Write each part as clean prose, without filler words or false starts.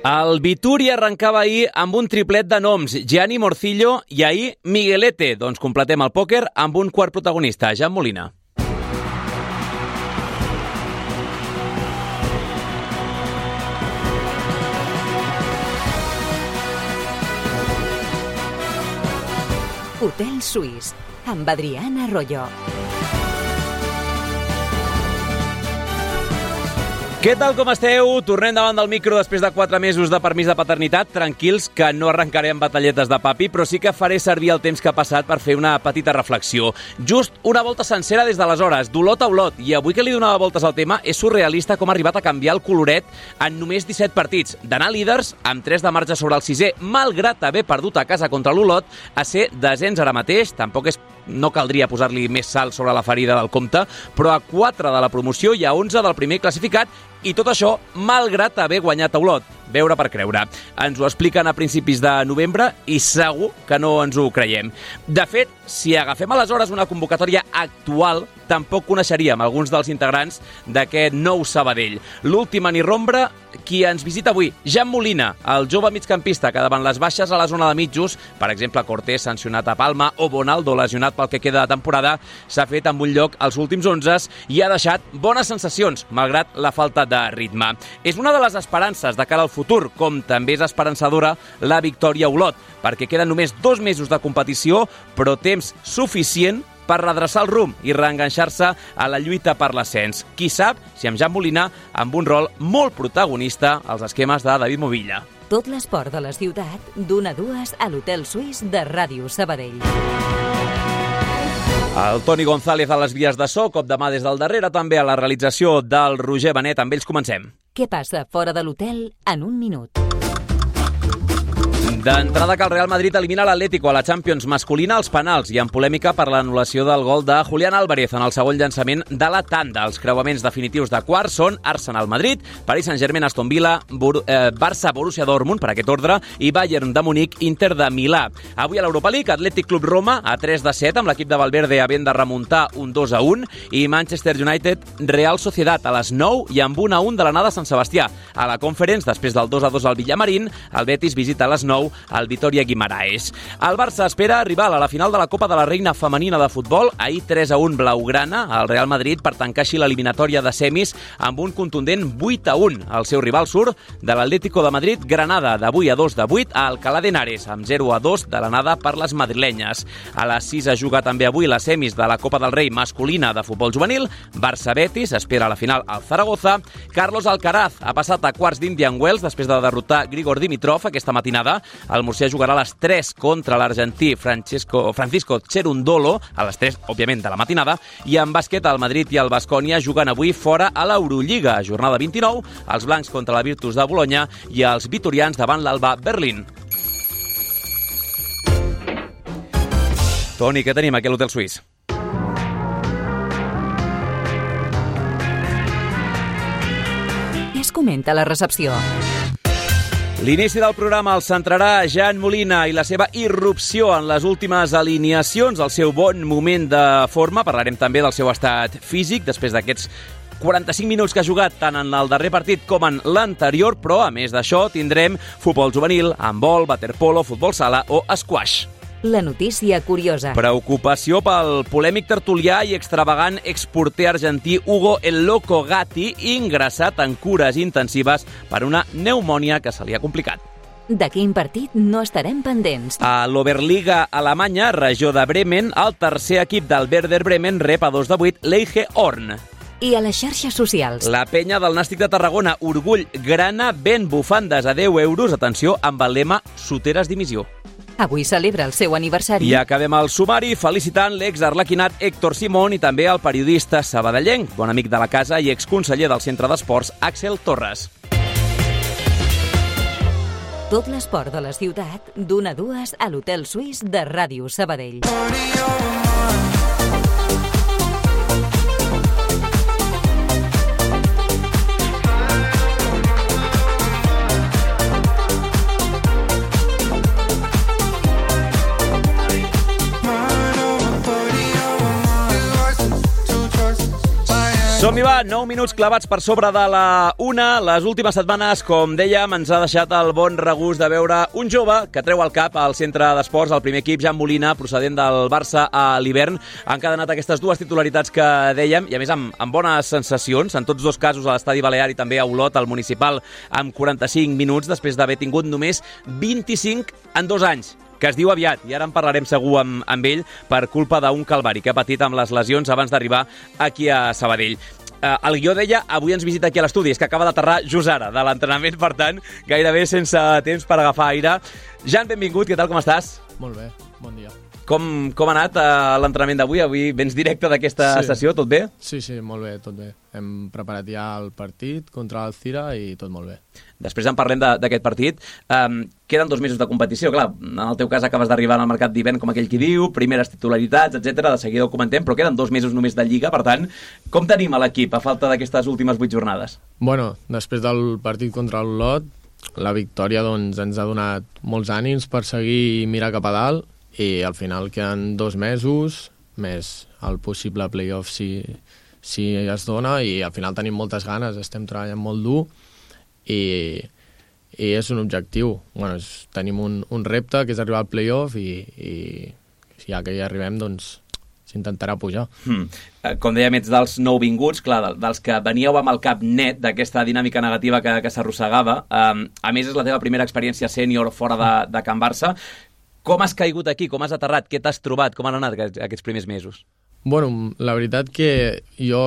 El Vituri arrencava ahir amb un triplet de noms, Gianni Morcillo i ahir Miguelete. Doncs completem el pòquer amb un quart protagonista, Jan Molina. Hotel Suís, amb Adriana Arroyo. Què tal, com esteu? Tornem davant del micro després de 4 mesos de permís de paternitat. Tranquils, que no arrencaré amb batalletes de papi, però sí que faré servir el temps que ha passat per fer una petita reflexió. Just una volta sencera des d'aleshores, d'olot a olot, i avui que li donava voltes al tema, és surrealista com ha arribat a canviar el coloret en només 17 partits. D'anar líders, amb 3 de marge sobre el 6è, malgrat haver perdut a casa contra l'Olot, a ser desens ara mateix. Tampoc no caldria posar-li més sal sobre la ferida del compte, però a 4 de la promoció i a 11 del primer classificat, i tot això malgrat haver guanyat a Olot. Veure per creure. Ens ho expliquen a principis de novembre i segur que no ens ho creiem. De fet, si agafem aleshores una convocatòria actual, tampoc coneixeríem alguns dels integrants d'aquest nou Sabadell. L'últim anirrombra, qui ens visita avui, Jan Molina, el jove migcampista que davant les baixes a la zona de mitjos, per exemple Cortés sancionat a Palma o Bonaldo lesionat pel que queda de temporada, s'ha fet amb un lloc als últims 11 i ha deixat bones sensacions, malgrat la falta de ritme. És una de les esperances de cara al futur, com també és esperançadora la victòria a Olot, perquè queden només 2 mesos de competició, però temps suficient per redreçar el rumb i reenganxar-se a la lluita per l'ascens. Qui sap si amb Jan Molina amb un rol molt protagonista als esquemes de David Movilla. Tot l'esport de la ciutat, d'1 a 2 a l'Hotel Suís de Ràdio Sabadell. El Toni González a les vies de so, cop de mà des del darrere, també a la realització del Roger Benet. Amb ells comencem. Què passa fora de l'hotel en un minut? D'entrada que el Real Madrid elimina l'Atlético a la Champions masculina als penals i en polèmica per l'anul·lació del gol de Julián Álvarez en el segon llançament de la tanda. Els creuaments definitius de quarts són Arsenal-Madrid, Paris Saint-Germain-Aston Villa, Barça-Borussia Dortmund, per aquest ordre, i Bayern de Munic, Inter de Milà. Avui a l'Europa League, Atlètic Club Roma a 3-7 amb l'equip de Valverde havent de remuntar un 2-1 i Manchester United Real Sociedad a les 9 i amb 1-1 de l'anada a Sant Sebastià. A la Conference, després del 2-2 al Villamarín, el Betis visita a les 9 al Vitoria Guimaraes. El Barça espera rival a la final de la Copa de la Reina Femenina de Futbol, ahir 3-1 blaugrana al Real Madrid per tancar així l'eliminatòria de semis amb un contundent 8-1. El seu rival surt de l'Atlético de Madrid Granada, d'avui a 2-8 a Alcalá de Henares, amb 0-2 de l'anada per les madrilenyes. A les 6 es juga també avui les semis de la Copa del Rei masculina de futbol juvenil. Barça-Betis espera a la final al Zaragoza. Carlos Alcaraz ha passat a quarts d'Indian Wells després de derrotar Grigor Dimitrov aquesta matinada. El murcià jugarà a les 3 contra l'argentí Francisco Cherundolo, a les 3, òbviament, de la matinada, i en bàsquet el Madrid i el Baskonia juguen avui fora a l'Eurolliga, jornada 29, els blancs contra la Virtus de Bologna i els vitorians davant l'Alba Berlín. Toni, què tenim aquí a l'Hotel Suís? Què es comenta a la recepció? L'inici del programa el centrarà Jan Molina i la seva irrupció en les últimes alineacions, el seu bon moment de forma. Parlarem també del seu estat físic després d'aquests 45 minuts que ha jugat tant en el darrer partit com en l'anterior, però a més d'això tindrem futbol juvenil, handbol, waterpolo, futbol sala o squash. La notícia curiosa. Preocupació pel polèmic tertulià i extravagant exporter argentí Hugo El Loco Gatti, ingressat en cures intensives per una pneumònia que se li ha complicat. De quin partit no estarem pendents? A l'Oberliga alemanya, regió de Bremen, el tercer equip del Werder Bremen rep a 2-8 l'Eiche Horn. I a les xarxes socials. La penya del Nàstic de Tarragona, Orgull Grana, ven bufandes a 10 euros, atenció, amb el lema Soteres dimissió. Avui celebra el seu aniversari. I acabem el sumari felicitant l'ex-arlequinat Héctor Simón i també el periodista sabadellenc, bon amic de la casa i exconseller del Centre d'Esports, Axel Torres. Tot l'esport de la ciutat, d'1 a 2 a l'Hotel Suís de Ràdio Sabadell. Som-hi, va, 9 minuts clavats per sobre de la 1. Les últimes setmanes, com dèiem, ens ha deixat el bon regust de veure un jove que treu el cap al centre d'esports, el primer equip, Jan Molina, procedent del Barça a l'hivern. Ha encadenat aquestes dues titularitats que dèiem, i a més amb bones sensacions, en tots dos casos a l'Estadi Balear i també a Olot, al Municipal, amb 45 minuts, després d'haver tingut només 25 en 2 anys, que es diu aviat, i ara en parlarem segur amb ell per culpa d'un calvari que ha patit amb les lesions abans d'arribar aquí a Sabadell. El guió deia, avui ens visita aquí a l'estudi, és que acaba d'aterrar just ara de l'entrenament, per tant, gairebé sense temps per agafar aire. Jan, benvingut, què tal, com estàs? Molt bé, bon dia. Com ha anat l'entrenament d'avui? Avui vens directe d'aquesta sessió, tot bé? Sí, molt bé, tot bé. Hem preparat ja el partit contra l'Alcira i tot molt bé. Després en parlem d'aquest partit. Queden 2 mesos de competició, clar, en el teu cas acabes d'arribar al mercat d'hivern, com aquell qui diu, primeres titularitats, etc. De seguida ho comentem, però queden 2 mesos només de Lliga, per tant, com tenim a l'equip a falta d'aquestes últimes 8 jornades? Bueno, després del partit contra l'Olot, la victòria doncs, ens ha donat molts ànims per seguir i mirar cap a dalt, i al final queden 2 mesos, més el possible playoff si es dona, i al final tenim moltes ganes, estem treballant molt dur, i és un objectiu. Bueno, tenim un repte, que és arribar al playoff, i ja que hi arribem, doncs s'intentarà pujar. Com dèiem, ets dels nouvinguts, clar, dels que veníeu amb el cap net d'aquesta dinàmica negativa que s'arrossegava. A més, és la teva primera experiència sènior fora de Can Barça. Com has caigut aquí? Com has aterrat? Què t'has trobat? Com han anat aquests primers mesos? Bueno, la veritat que jo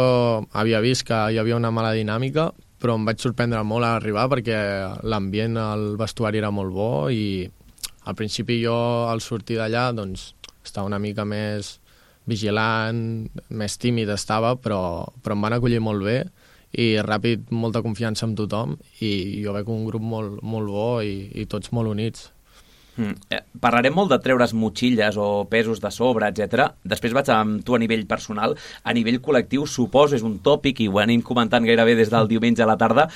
havia vist que hi havia una mala dinàmica, però em vaig sorprendre molt a arribar perquè l'ambient al vestuari era molt bo i al principi jo al sortir d'allà doncs estava una mica més vigilant, més tímid estava, però em van acollir molt bé i ràpid molta confiança amb tothom i jo veig un grup molt, molt bo i tots molt units. Parlarem molt de treure's motxilles o pesos de sobre, etc. Després vaig amb tu a nivell personal. A nivell col·lectiu, suposo, és un tòpic i ho anem comentant gairebé des del diumenge a la tarda,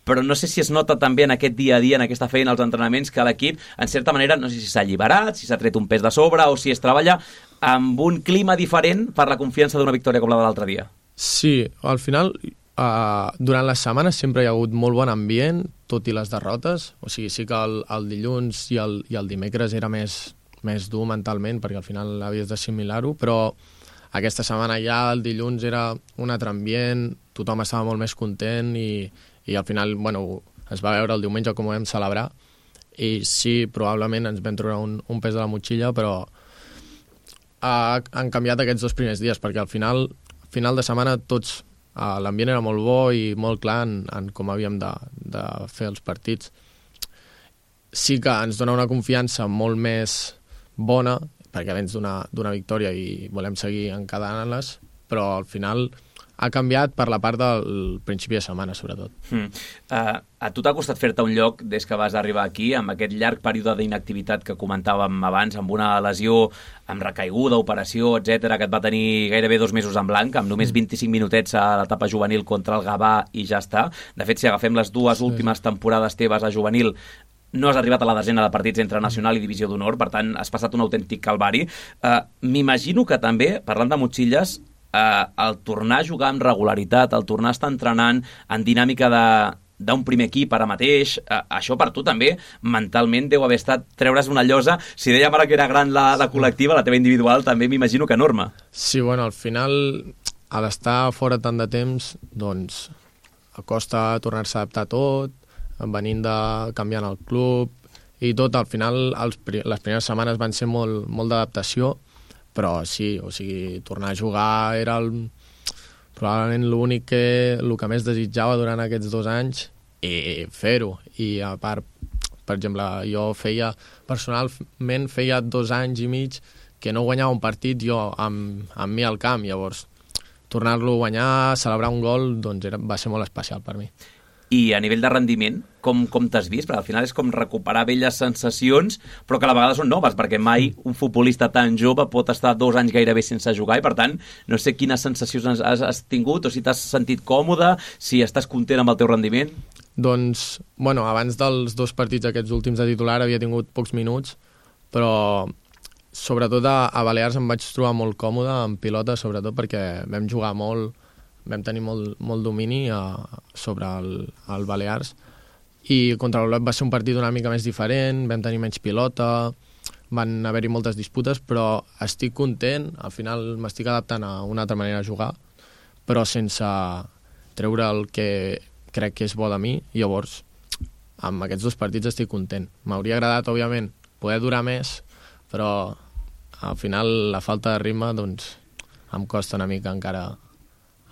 però no sé si es nota també en aquest dia a dia, en aquesta feina, als entrenaments, que l'equip, en certa manera, no sé si s'ha alliberat, si s'ha tret un pes de sobre o si es treballa amb un clima diferent per la confiança d'una victòria com la de l'altre dia. Sí, al final, durant les setmanes sempre hi ha hagut molt bon ambient, tot i les derrotes. O sigui, sí que el dilluns i el dimecres era més dur mentalment, perquè al final havies d'assimilar-ho, però aquesta setmana ja el dilluns era un altre ambient, tothom estava molt més content i al final, bueno, es va veure el diumenge com ho vam celebrar i sí, probablement ens vam treure un pes de la motxilla, però han canviat aquests 2 primers dies, perquè al final de setmana tots l'ambient era molt bo i molt clar en com havíem de fer els partits. Sí que ens dona una confiança molt més bona, perquè vens d'una victòria i volem seguir encadenant-les, però al final ha canviat per la part del principi de setmana, sobretot. A tu t'ha costat fer-te un lloc des que vas arribar aquí, amb aquest llarg període d'inactivitat que comentàvem abans, amb una lesió, amb recaiguda, operació, etc, que et va tenir gairebé 2 mesos en blanc, amb només 25 minutets a l'etapa juvenil contra el Gavà i ja està. De fet, si agafem les 2 últimes temporades teves a juvenil, no has arribat a la desena de partits entre Nacional i Divisió d'Honor, per tant, has passat un autèntic calvari. M'imagino que també, parlant de motxilles, el tornar a jugar amb regularitat, el tornar a estar entrenant en dinàmica d'un primer equip ara mateix, això per tu també mentalment deu haver estat treure's una llosa. Si dèiem ara que era gran la col·lectiva, la teva individual també m'imagino que enorme. Sí, bueno, al final, a l'estar fora tant de temps, doncs costa tornar-se a adaptar tot, venint canviant el club i tot. Al final, les primeres setmanes van ser molt d'adaptació, però sí, o sigui, tornar a jugar era probablement el que més desitjava durant aquests 2 anys i fer-ho. I a part, per exemple, jo personalment feia 2 anys i mig que no guanyava un partit jo amb mi al camp, llavors tornar-lo a guanyar, celebrar un gol, doncs va ser molt especial per mi. I a nivell de rendiment, com t'has vist? Perquè al final és com recuperar velles sensacions, però que a la vegada són noves, perquè mai un futbolista tan jove pot estar 2 anys gairebé sense jugar, i per tant, no sé quines sensacions has tingut, o si t'has sentit còmode, si estàs content amb el teu rendiment. Doncs, bueno, abans dels 2 partits aquests últims de titular havia tingut pocs minuts, però sobretot a Balears em vaig trobar molt còmode, en pilota, sobretot perquè vam jugar molt vam tenir molt domini sobre el Balears, i contra l'Olot va ser un partit una mica més diferent, vam tenir menys pilota, van haver-hi moltes disputes, però estic content, al final m'estic adaptant a una altra manera de jugar, però sense treure el que crec que és bo de mi. Llavors, amb aquests 2 partits estic content. M'hauria agradat, òbviament, poder durar més, però al final la falta de ritme doncs, em costa una mica encara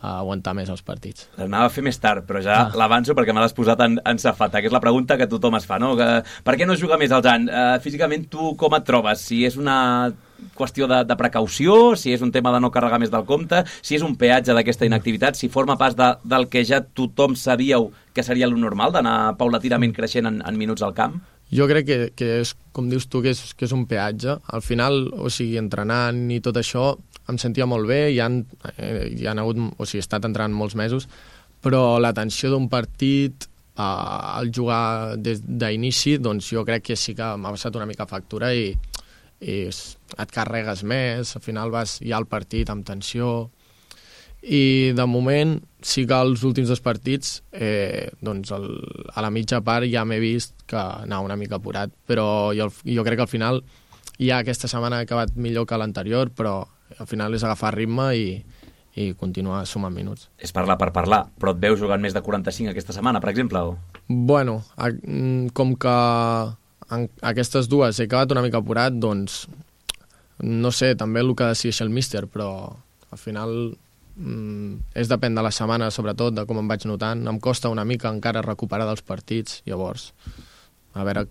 aguantar més els partits. L'anava a fer més tard, però ja l'avanço perquè me l'has posat en safata, que és la pregunta que tothom es fa, no? Per què no juga més el Jan? Físicament, tu com et trobes? Si és una qüestió de precaució, si és un tema de no carregar més del compte, si és un peatge d'aquesta inactivitat, si forma pas del que ja tothom sabíeu que seria lo normal, d'anar paulatinament creixent en minuts al camp? Jo crec que és, com dius tu, que és un peatge. Al final, o sigui, entrenant i tot això, em sentia molt bé, hi han hagut, o sigui, he estat entrenant molts mesos, però la tensió d'un partit, al jugar des d'inici, doncs jo crec que sí que m'ha passat una mica factura i et carregues més, al final vas ja al partit amb tensió, i de moment sí que els últims 2 partits doncs a la mitja part ja m'he vist que anava una mica apurat, però jo crec que al final ja aquesta setmana ha acabat millor que l'anterior, però al final és agafar ritme i continuar sumant minuts. És parlar per parlar, però et veus jugant més de 45 aquesta setmana, per exemple? O? Bueno, com que en aquestes 2 he acabat una mica apurat, doncs no sé, també el que decideix el míster, però al final és depèn de la setmana, sobretot, de com em vaig notant. Em costa una mica encara recuperar dels partits, llavors a veure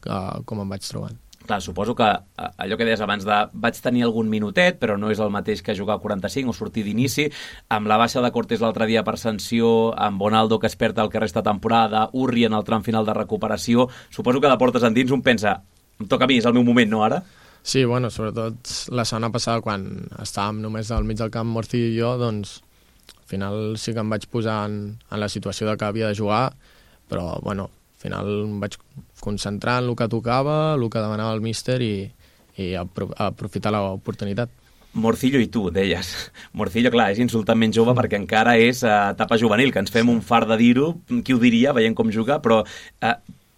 com em vaig trobant. Clar, suposo que allò que deies abans de vaig tenir algun minutet, però no és el mateix que jugar 45 o sortir d'inici, amb la baixa de Cortés l'altre dia per sanció, amb Bonaldo que es perd el que resta temporada, Urri en el tram final de recuperació, suposo que de portes endins un pensa, em toca a mi, és el meu moment, no ara? Sí, bueno, sobretot la setmana passada quan estàvem només al mig del camp Morcillo i jo, doncs al final sí que em vaig posar en la situació de que havia de jugar, però bueno, al final em vaig concentrar en el que tocava, el que demanava el míster i aprofitar l'oportunitat. Morcillo i tu, deies. Morcillo, clar, és insultament jove perquè encara és etapa juvenil, que ens fem un fart de dir-ho, qui ho diria, veient com juga, però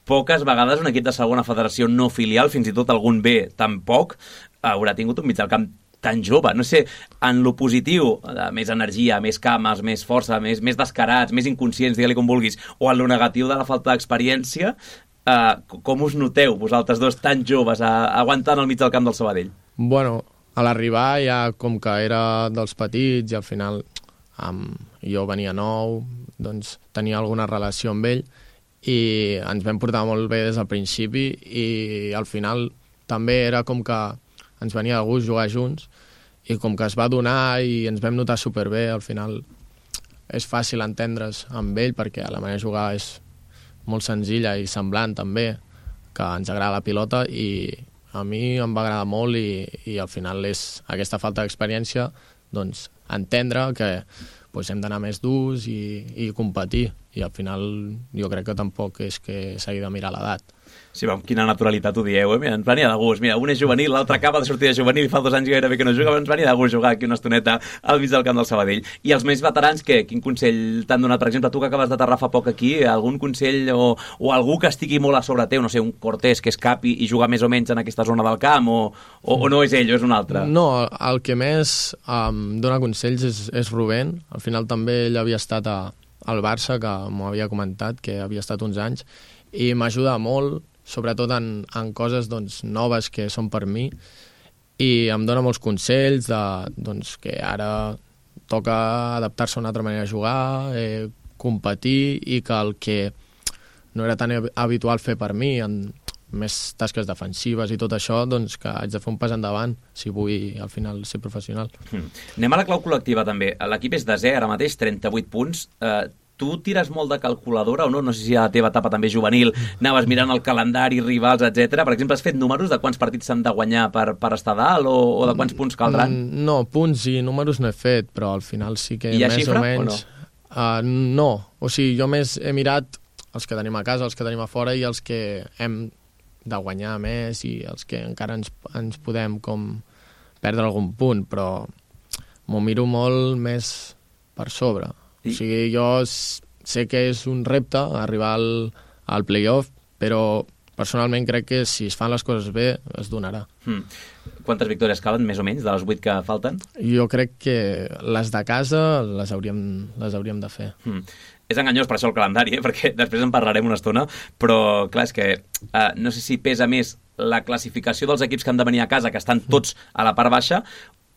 poques vegades un equip de segona federació no filial, fins i tot algun B tampoc, haurà tingut un mig del camp tan jove. No sé, en lo positiu, més energia, més cames, més força, més descarats, més inconscients, digue-li com vulguis, o en lo negatiu de la falta d'experiència, com us noteu vosaltres 2 tan joves aguantant al mig del camp del Sabadell? Bueno, a l'arribar ja com que era dels petits i al final jo venia nou, doncs tenia alguna relació amb ell i ens vam portar molt bé des del principi i al final també era com que ens venia de gust jugar junts i com que es va donar i ens vam notar superbé, al final és fàcil entendre's amb ell perquè la manera de jugar és molt senzilla i semblant també, que ens agrada la pilota i a mi em va agradar molt i al final és aquesta falta d'experiència, doncs entendre que hem d'anar més durs i competir i al final jo crec que tampoc és que s'hagi de mirar l'edat. Sí, amb quina naturalitat ho dieu, Mira, ens venia de gust. Mira, un és juvenil, l'altre acaba de sortir de juvenil i fa 2 anys gairebé que no juga, però ens venia de gust jugar aquí una estoneta al mig del camp del Sabadell. I els més veterans, què? Quin consell t'han donat? Per exemple, tu que acabes d'aterrar fa poc aquí, algun consell o algú que estigui molt a sobre teu, no sé, un Cortés que escapi i jugar més o menys en aquesta zona del camp o no és ell o és un altre? No, el que més dona consells és Rubén. Al final també ell havia estat al Barça, que m'ho havia comentat, que havia estat uns anys, i m'ajuda molt, sobretot en coses noves que són per mi, i em dona molts consells que ara toca adaptar-se a una altra manera de jugar, competir, i que el que no era tan habitual fer per mi, en més tasques defensives i tot això, que haig de fer un pas endavant si vull al final ser professional. Anem a la clau col·lectiva també. L'equip és desè ara mateix, 38 punts. Tu tires molt de calculadora o no? No sé si a la teva etapa també juvenil anaves mirant el calendari, rivals, etc. Per exemple, has fet números de quants partits s'han de guanyar per estar dalt o de quants punts caldran? No, punts i números no he fet, però al final sí que hi ha més xifra, o menys... o no? No, o sigui, jo més he mirat els que tenim a casa, els que tenim a fora i els que hem de guanyar més i els que encara ens podem com perdre algun punt, però m'ho miro molt més per sobre. O sigui, jo sé que és un repte arribar al play-off, però personalment crec que si es fan les coses bé es donarà. Quantes victòries calen, més o menys, de les 8 que falten? Jo crec que les de casa les hauríem de fer. És enganyós per això el calendari, perquè després en parlarem una estona, però clar, és que no sé si pesa més la classificació dels equips que han de venir a casa, que estan tots a la part baixa,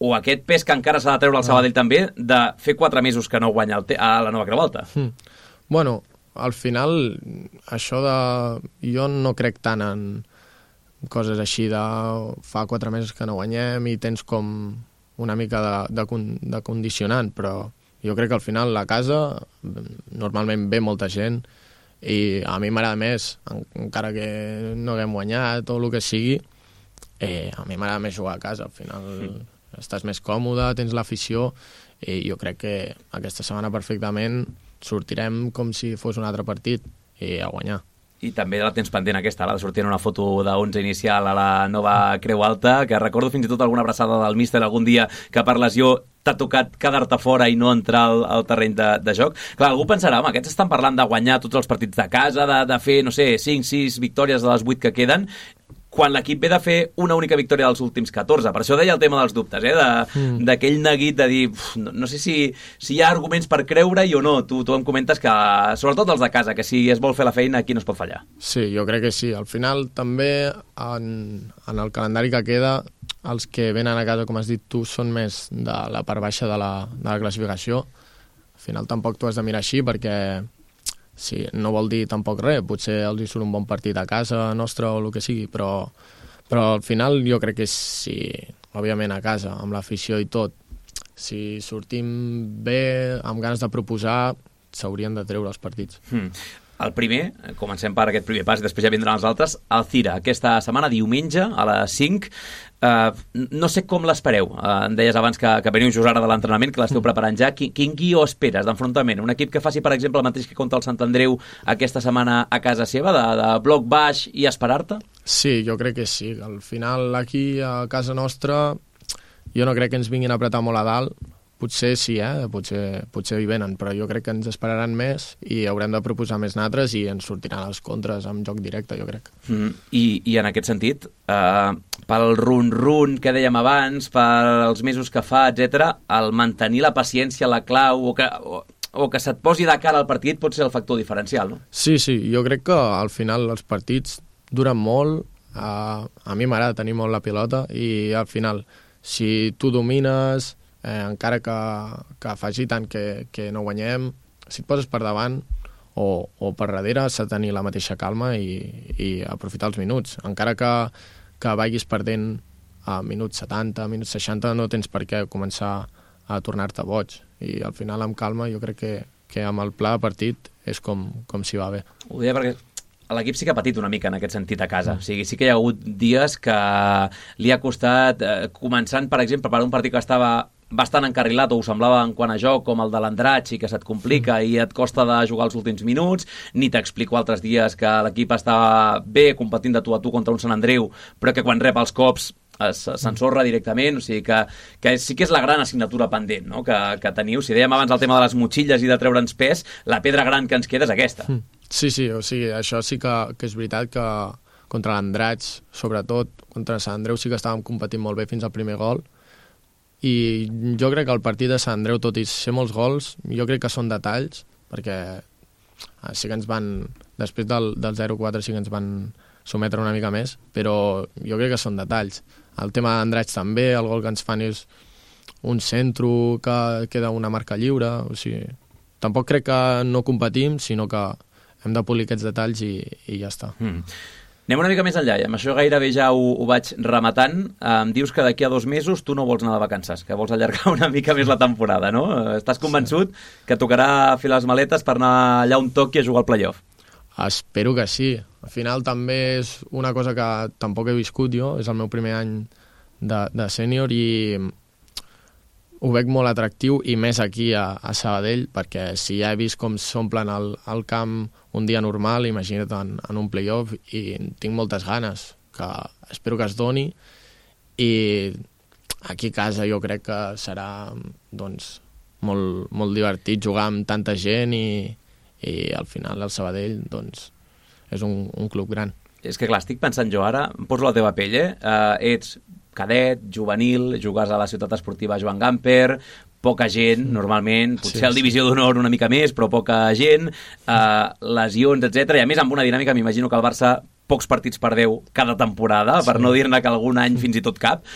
o aquest pes que encara s'ha de treure el Sabadell també, de fer 4 mesos que no guanya a la nova Creu Alta. Bueno, al final, això de... Jo no crec tant en coses així de fa 4 mesos que no guanyem i tens com una mica de condicionant, però jo crec que al final la casa normalment ve molta gent i a mi m'agrada més, encara que no haguem guanyat o el que sigui, a mi m'agrada més jugar a casa. Al final estàs més còmode, tens l'afició i jo crec que aquesta setmana perfectament sortirem com si fos un altre partit i a guanyar. I també la tens pendent aquesta, la de sortir en una foto d'11 inicial a la nova Creu Alta, que recordo fins i tot alguna abraçada del míster algun dia que per lesió t'ha tocat quedar-te fora i no entrar al terreny de joc. Clar, algú pensarà, home, aquests estan parlant de guanyar tots els partits de casa, de fer, no sé, 5-6 victòries de les 8 que queden, quan l'equip ve de fer una única victòria dels últims 14. Per això deia el tema dels dubtes, d'aquell neguit de dir, no sé si hi ha arguments per creure-hi o no. Tu em comentes que, sobretot els de casa, que si es vol fer la feina, aquí no es pot fallar. Sí, jo crec que sí. Al final, també, en el calendari que queda, els que venen a casa, com has dit tu, són més de la part baixa de la classificació. Al final tampoc t'ho has de mirar així, perquè sí, no vol dir tampoc res, potser els hi surt un bon partit a casa nostra o el que sigui, però al final jo crec que sí, òbviament a casa, amb l'afició i tot, si sortim bé, amb ganes de proposar, s'haurien de treure els partits. El primer, comencem per aquest primer pas i després ja vindran els altres, el Cira, aquesta setmana, diumenge, a les 5. No sé com l'espereu. Em deies abans que veniu just ara de l'entrenament, que l'esteu preparant ja. Quin guió esperes d'enfrontament? Un equip que faci, per exemple, el mateix que contra el Sant Andreu aquesta setmana a casa seva, de bloc baix i esperar-te? Sí, jo crec que sí. Al final, aquí a casa nostra, jo no crec que ens vinguin a apretar molt a dalt. Potser sí, potser hi venen, però jo crec que ens esperaran més i haurem de proposar més natres i ens sortiran les contres amb joc directe, jo crec. I en aquest sentit, pel run-run que dèiem abans, pels mesos que fa, etc, el mantenir la paciència, la clau, o que se't posi de cara al partit pot ser el factor diferencial, no? Sí, jo crec que al final els partits duren molt, a mi m'agrada tenir molt la pilota i al final, si tu domines... encara que faci tant que no guanyem, si et poses per davant o per darrere s'ha de tenir la mateixa calma i aprofitar els minuts. Encara que vagis perdent a minuts 70, minuts 60, no tens per què començar a tornar-te boig. I al final, amb calma, jo crec que amb el pla de partit és com s'hi va bé. Ho deia perquè l'equip sí que ha patit una mica en aquest sentit a casa. O sigui, sí que hi ha hagut dies que li ha costat, començant, per exemple, per un partit que estava bastant encarrilat, o ho semblava en quant a joc, com el de l'Andratx, i que se't complica i et costa de jugar els últims minuts, ni t'explico altres dies que l'equip estava bé competint de tu a tu contra un Sant Andreu, però que quan rep els cops s'ensorra directament, o sigui que sí que és la gran assignatura pendent, no? que teniu. Si dèiem abans el tema de les motxilles i de treure'ns pes, la pedra gran que ens queda és aquesta. Sí, o sigui, això sí que és veritat que contra l'Andratx, sobretot contra Sant Andreu, sí que estàvem competint molt bé fins al primer gol, i jo crec que el partit de Sant Andreu, tot i ser molts gols, jo crec que són detalls, perquè sí que ens van, després del 0-4 sí que ens van sometre una mica més, però jo crec que són detalls. El tema d'Andratx també, el gol que ens fan és un centro que queda una marca lliure, o sigui, tampoc crec que no competim, sinó que hem de polir aquests detalls i ja està. Anem una mica més enllà, i amb això gairebé ja ho vaig rematant. Em dius que d'aquí a 2 mesos tu no vols anar de vacances, que vols allargar una mica més la temporada, no? Estàs convençut que tocarà fer les maletes per anar allà on toqui a jugar al playoff? Espero que sí. Al final també és una cosa que tampoc he viscut jo, és el meu primer any de sènior i ho veig molt atractiu, i més aquí a Sabadell, perquè si ja he vist com s'omplen el camp un dia normal, imagina't en un playoff, i tinc moltes ganes, que espero que es doni, i aquí a casa jo crec que serà doncs, molt, molt divertit jugar amb tanta gent i al final el Sabadell doncs, és un club gran. És que clar, estic pensant jo ara, em poso la teva pell, ets cadet, juvenil, jugues a la ciutat esportiva Joan Gamper, poca gent, normalment, potser al Divisió d'Honor una mica més, però poca gent, lesions, etc. I a més amb una dinàmica, m'imagino que el Barça pocs partits per 10 cada temporada, per no dir-ne que algun any fins i tot cap,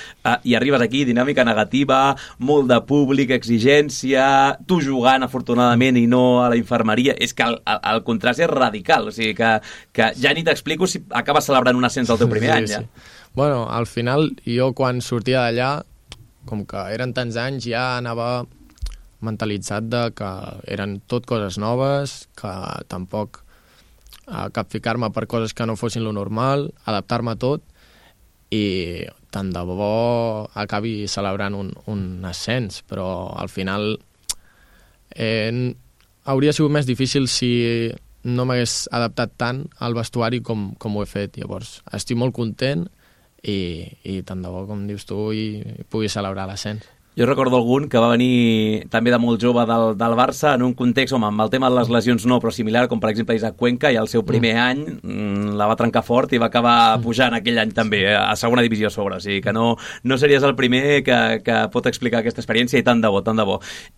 i arribes aquí, dinàmica negativa, molt de públic, exigència, tu jugant afortunadament i no a la infermeria, és que el contrast és radical, o sigui que ja ni t'explico si acabes celebrant un ascens al teu primer any. Ja. Bueno, al final, jo quan sortia d'allà, com que eren tants anys, ja anava mentalitzat de que eren tot coses noves, que tampoc capficar-me per coses que no fossin lo normal, adaptar-me a tot i tant de bo acabi celebrant un ascens, però al final hauria sigut més difícil si no m'hagués adaptat tant al vestuari com ho he fet. Llavors, estic molt content i tant de bo, com dius tu, i pugui celebrar l'ascens. Jo recordo algun que va venir també de molt jove del Barça en un context, amb el tema de les lesions no, però similar, com per exemple Isaac Cuenca, i el seu primer any la va trencar fort i va acabar pujant aquell any també, a segona divisió a sobre. O sigui que no series el primer que pot explicar aquesta experiència, i tant de bo, tant de bo.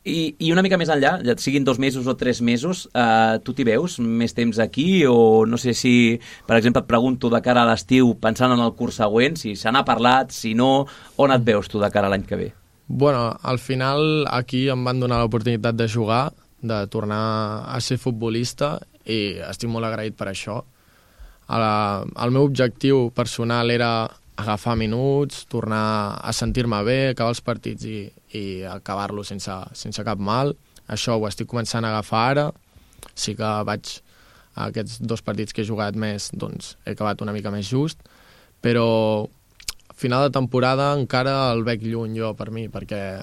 I una mica més enllà, ja siguin 2 mesos o 3 mesos, tu t'hi veus més temps aquí? O no sé si, per exemple, et pregunto de cara a l'estiu, pensant en el curs següent, si se n'ha parlat, si no, on et veus tu de cara a l'any que ve? Bueno, al final aquí em van donar l'oportunitat de jugar, de tornar a ser futbolista, i estic molt agraït per això. El meu objectiu personal era agafar minuts, tornar a sentir-me bé, acabar els partits i acabar-los sense cap mal. Això ho estic començant a agafar ara. Sí que aquests 2 partits que he jugat més, doncs he acabat una mica més just, però final de temporada encara el veig lluny jo per mi, perquè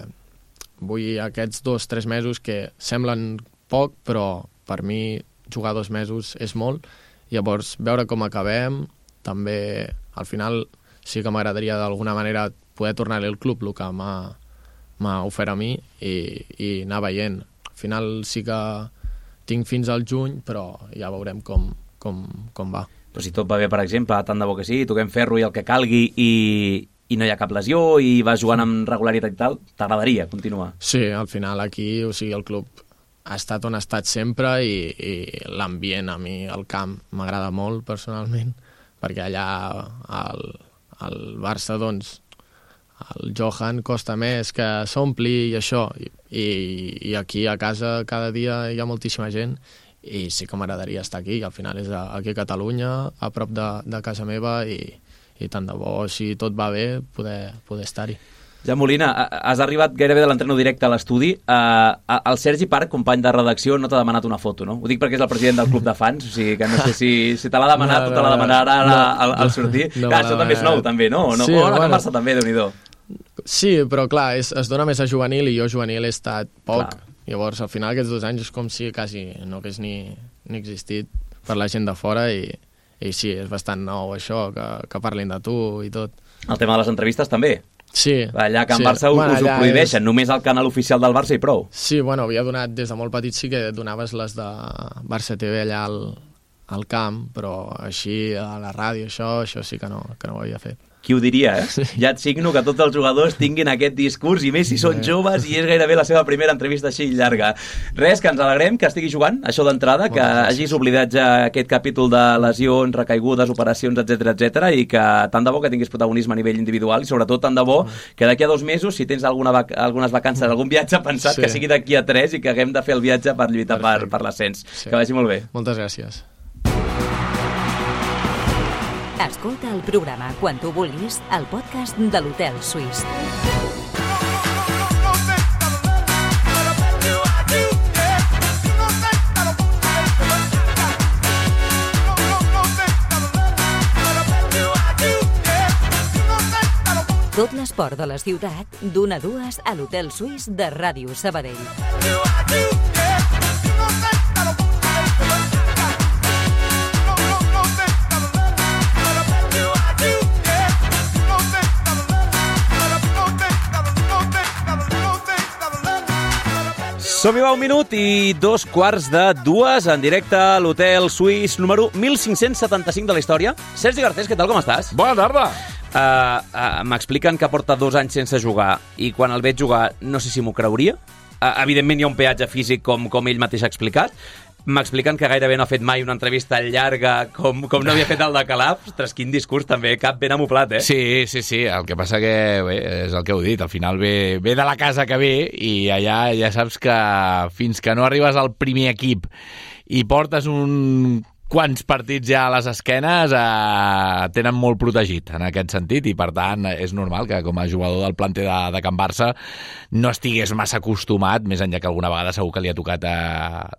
vull aquests 2-3 mesos que semblen poc, però per mi jugar 2 mesos és molt. Llavors, veure com acabem, també al final sí que m'agradaria d'alguna manera poder tornar al club, el que m'ha ofert a mi, i anar veient. Al final sí que tinc fins al juny, però ja veurem com va. Però si tot va bé, per exemple, tant de bo que sí, toquem ferro i el que calgui i no hi ha cap lesió i vas jugant amb regularitat i tal, t'agradaria continuar? Sí, al final aquí, o sigui, el club ha estat on ha estat sempre i l'ambient a mi, el camp, m'agrada molt personalment, perquè allà al Barça, doncs, el Johan costa més que s'ompli i això, i aquí a casa cada dia hi ha moltíssima gent, i sí que m'agradaria estar aquí, al final és aquí a Catalunya, a prop de casa meva, i tant de bo, si tot va bé, poder estar-hi. Ja, Molina, has arribat gairebé de l'entreno directe a l'estudi. El Sergi Parc, company de redacció, no t'ha demanat una foto, no? Ho dic perquè és el president del club de fans, o sigui que no sé si te l'ha demanat o te la demanarà al sortir. Clar, això també és nou, també, no? Sí, o la Barça també, Déu-n'hi-do. Sí, però clar, es dona més a juvenil i jo juvenil he estat poc. Llavors, al final, aquests 2 anys és com si quasi no hagués ni existit per la gent de fora i sí, és bastant nou això, que parlin de tu i tot. El tema de les entrevistes també? Sí. Allà a Can Barça us ho prohibeixen, només al canal oficial del Barça i prou. Sí, bueno, havia donat, des de molt petit sí que donaves les de Barça TV allà al camp, però així a la ràdio, això sí que no ho havia fet. Qui ho diria, eh? Sí. Ja et signo que tots els jugadors tinguin aquest discurs, i més si són joves, i és gairebé la seva primera entrevista així llarga. Res, que ens alegrem que estigui jugant, això d'entrada, que hagis oblidat ja aquest capítol de lesions, recaigudes, operacions, etc, i que tant de bo que tinguis protagonisme a nivell individual, i sobretot tant de bo que d'aquí a 2 mesos, si tens algunes vacances, algun viatge pensat, que sigui d'aquí a 3 i que haguem de fer el viatge per lluitar per l'ascens. Que vagi molt bé. Moltes gràcies. Escolta el programa quan tu vulguis al podcast de l'Hotel Suís. Tot l'esport de la ciutat, d'1 a 2 a l'Hotel Suís de Ràdio Sabadell. Som-hi va 1 minut i 2:45 en directe a l'Hotel Suís número 1575 de la història. Sergi Garcés, què tal, com estàs? Bona tarda. M'expliquen que porta 2 anys sense jugar i quan el veig jugar no sé si m'ho creuria. Evidentment hi ha un peatge físic com ell mateix ha explicat. M'expliquen que gairebé no ha fet mai una entrevista llarga com no havia fet el de Calaf. Ostres, quin discurs també, cap ben amoplat, eh? Sí. El que passa que, bé, és el que heu dit, al final ve de la casa que ve i allà ja saps que fins que no arribes al primer equip i portes quants partits ja a les esquenes tenen molt protegit en aquest sentit i per tant és normal que com a jugador del planter de Can Barça no estigués massa acostumat, més enllà que alguna vegada segur que li ha tocat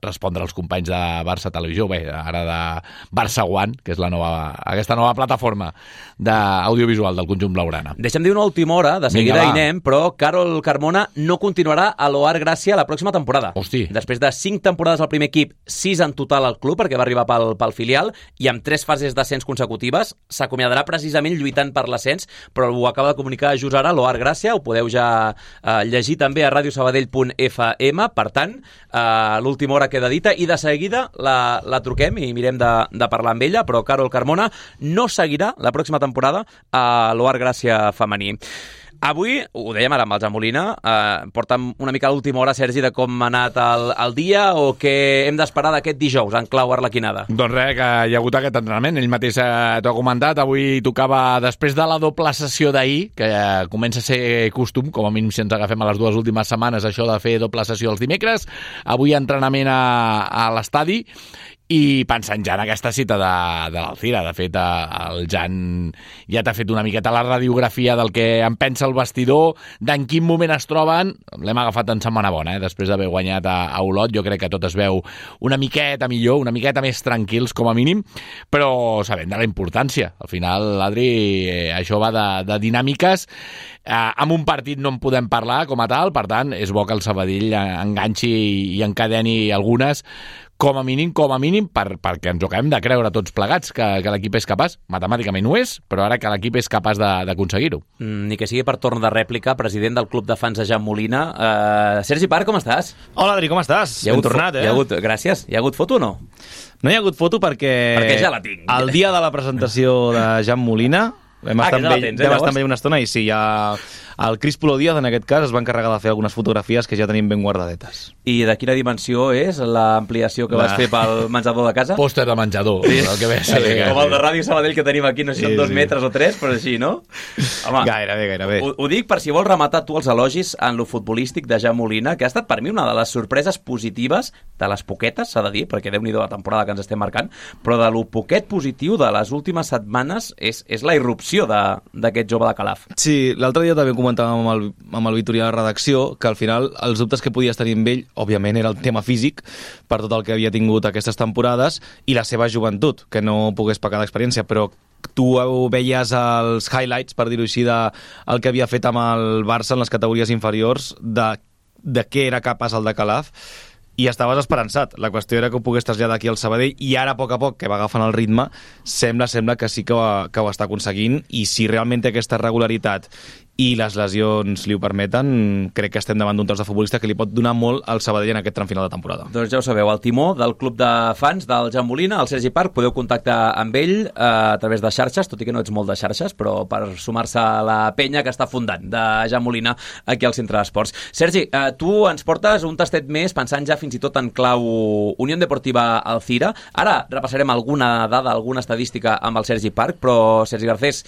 respondre als companys de Barça Televisió, bé, ara de Barça One, que és aquesta nova plataforma d'audiovisual del conjunt blaugrana. Deixa'm dir una última hora, de seguida hi anem, però Carol Carmona no continuarà a l'Oar Gràcia la pròxima temporada. Hosti. Després de 5 temporades al primer equip, 6 en total al club, perquè va arribar pel filial, i amb 3 fases d'ascens consecutives, s'acomiadarà precisament lluitant per l'ascens, però ho acaba de comunicar just ara l'Oar Gràcia, ho podeu ja llegir també a radiosabadell.fm, per tant, l'última hora queda dita, i de seguida la truquem i mirem de parlar amb ella, però Carol Carmona no seguirà la pròxima temporada a l'Oar Gràcia femení. Avui, ho dèiem ara amb el Jan Molina, porta'm una mica a l'última hora, Sergi, de com ha anat el dia o què hem d'esperar d'aquest dijous en clau arlequinada. Doncs res, que hi ha hagut aquest entrenament, ell mateix t'ho ha comentat, avui tocava, després de la doble sessió d'ahir, que comença a ser costum, com a mínim si ens agafem a les 2 últimes setmanes, això de fer doble sessió els dimecres, avui entrenament a l'estadi, i pensant ja en aquesta cita de l'Alcira. De fet, el Jan ja t'ha fet una miqueta la radiografia del que en pensa el vestidor, d'en quin moment es troben. L'hem agafat en setmana bona, després d'haver guanyat a Olot. Jo crec que tot es veu una miqueta millor, una miqueta més tranquils, com a mínim, però sabent de la importància. Al final, l'Adri, això va de dinàmiques. Amb un partit no en podem parlar com a tal, per tant, és bo que el Sabadell enganxi i encadeni algunes, com a mínim, perquè ens ho acabem de creure tots plegats, que l'equip és capaç. Matemàticament ho és, però ara que l'equip és capaç d'aconseguir-ho. Ni que sigui per torn de rèplica, president del club de fans de Jan Molina. Sergi Parc, com estàs? Hola, Adri, com estàs? Ben tornat, Gràcies. Hi ha hagut foto o no? No hi ha hagut foto perquè ja la tinc. El dia de la presentació de Jan Molina vam estar amb ell una estona i sí, ja el Cris Polo Díaz, en aquest cas, es va encarregar de fer algunes fotografies que ja tenim ben guardadetes. I de quina dimensió és l'ampliació que vas fer pel menjador de casa? Pòster de menjador. Sí. El que com el de Ràdio Sabadell que tenim aquí, no sé si són 2 metres o 3, però així, no? Home, gairebé. Ho dic per si vols rematar tu els elogis en lo futbolístic de Jan Molina, que ha estat per mi una de les sorpreses positives de les poquetes, s'ha de dir, perquè Déu-n'hi-do la temporada que ens estem marcant, però de lo poquet positiu de les últimes setmanes és la irrupció d'aquest jove de Calaf. Sí, l'altre dia també comentàvem amb el Vitorià de redacció que al final els dubtes que podies tenir amb ell, òbviament, era el tema físic per tot el que havia tingut aquestes temporades i la seva joventut, que no pogués pecar d'experiència, però tu veies els highlights, per dir-ho així, del que havia fet amb el Barça en les categories inferiors, de què era capaç el de Calaf, i estaves esperançat. La qüestió era que ho pogués traslladar aquí al Sabadell i ara, a poc, que va agafant el ritme, sembla que sí que ho està aconseguint, i si realment té aquesta regularitat i les lesions li ho permeten, crec que estem davant d'un tros de futbolista que li pot donar molt al Sabadell en aquest tram final de temporada. Doncs ja ho sabeu, el timó del club de fans del Jan Molina, el Sergi Parc, podeu contactar amb ell a través de xarxes, tot i que no ets molt de xarxes, però per sumar-se a la penya que està fundant de Jan Molina aquí al Centre d'Esports. Sergi, tu ens portes un tastet més, pensant ja fins i tot en clau Unió Deportiva Alcira. Ara repassarem alguna dada, alguna estadística amb el Sergi Parc, però Sergi Garcés,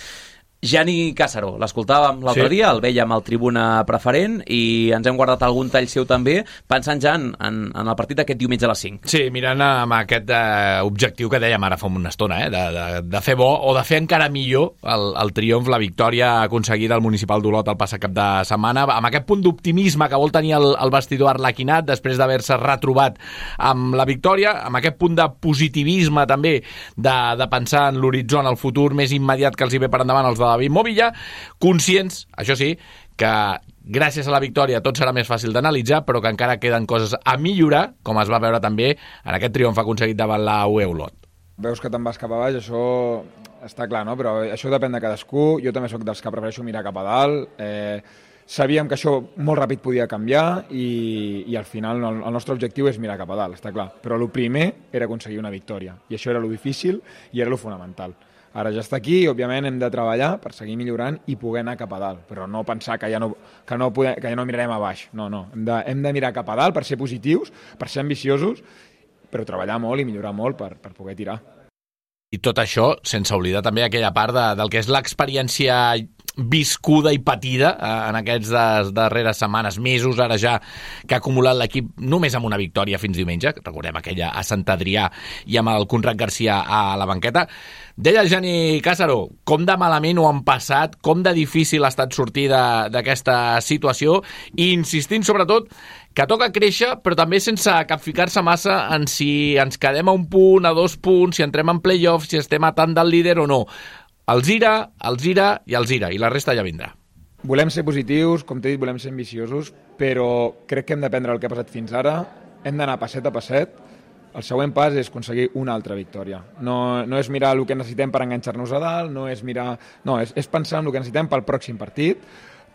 Gianni Càssaro, l'escoltàvem l'altre dia, el vèiem al tribuna preferent i ens hem guardat algun tall seu també, pensant ja en el partit d'aquest diumenge a les 5. Sí, mirant amb aquest objectiu que dèiem ara fa una estona, de fer bo o de fer encara millor el triomf, la victòria aconseguida al Municipal d'Olot el passat cap de setmana, amb aquest punt d'optimisme que vol tenir el vestidor arlequinat després d'haver-se retrobat amb la victòria, amb aquest punt de positivisme també, de pensar en l'horitzó, en el futur més immediat que els hi ve per endavant els de David Movilla, conscients, això sí, que gràcies a la victòria tot serà més fàcil d'analitzar, però que encara queden coses a millorar, com es va veure també en aquest triomf aconseguit davant la UE Olot. Veus que te'n vas cap a baix, això està clar, no? Però això depèn de cadascú. Jo també sóc dels que prefereixo mirar cap a dalt. sabíem que això molt ràpid podia canviar i al final el nostre objectiu és mirar cap a dalt, està clar. Però el primer era aconseguir una victòria i això era lo difícil i era lo fonamental. Ara ja està aquí i, òbviament, hem de treballar per seguir millorant i poder anar cap a dalt, però no pensar que ja no mirarem a baix. No. Hem de mirar cap a dalt per ser positius, per ser ambiciosos, però treballar molt i millorar molt per poder tirar. I tot això sense oblidar també aquella part del que és l'experiència viscuda i patida en aquests darreres setmanes, mesos, ara ja que ha acumulat l'equip només amb una victòria fins diumenge, recordem aquella a Sant Adrià i amb el Conrad Garcia a la banqueta. Deia el Jani Càssaro, com de malament ho han passat, com de difícil ha estat sortir d'aquesta situació i insistint sobretot que toca créixer, però també sense capficar-se massa en si ens quedem a 1 punt, a 2 punts, si entrem en play-off, si estem a tant del líder o no. Els ira, i la resta ja vindrà. Volem ser positius, com t'he dit, volem ser ambiciosos, però crec que hem d'aprendre el que ha passat fins ara, hem d'anar passet a passet. El següent pas és aconseguir una altra victòria. No és mirar el que necessitem per enganxar-nos a dalt, és pensar en el que necessitem pel pròxim partit,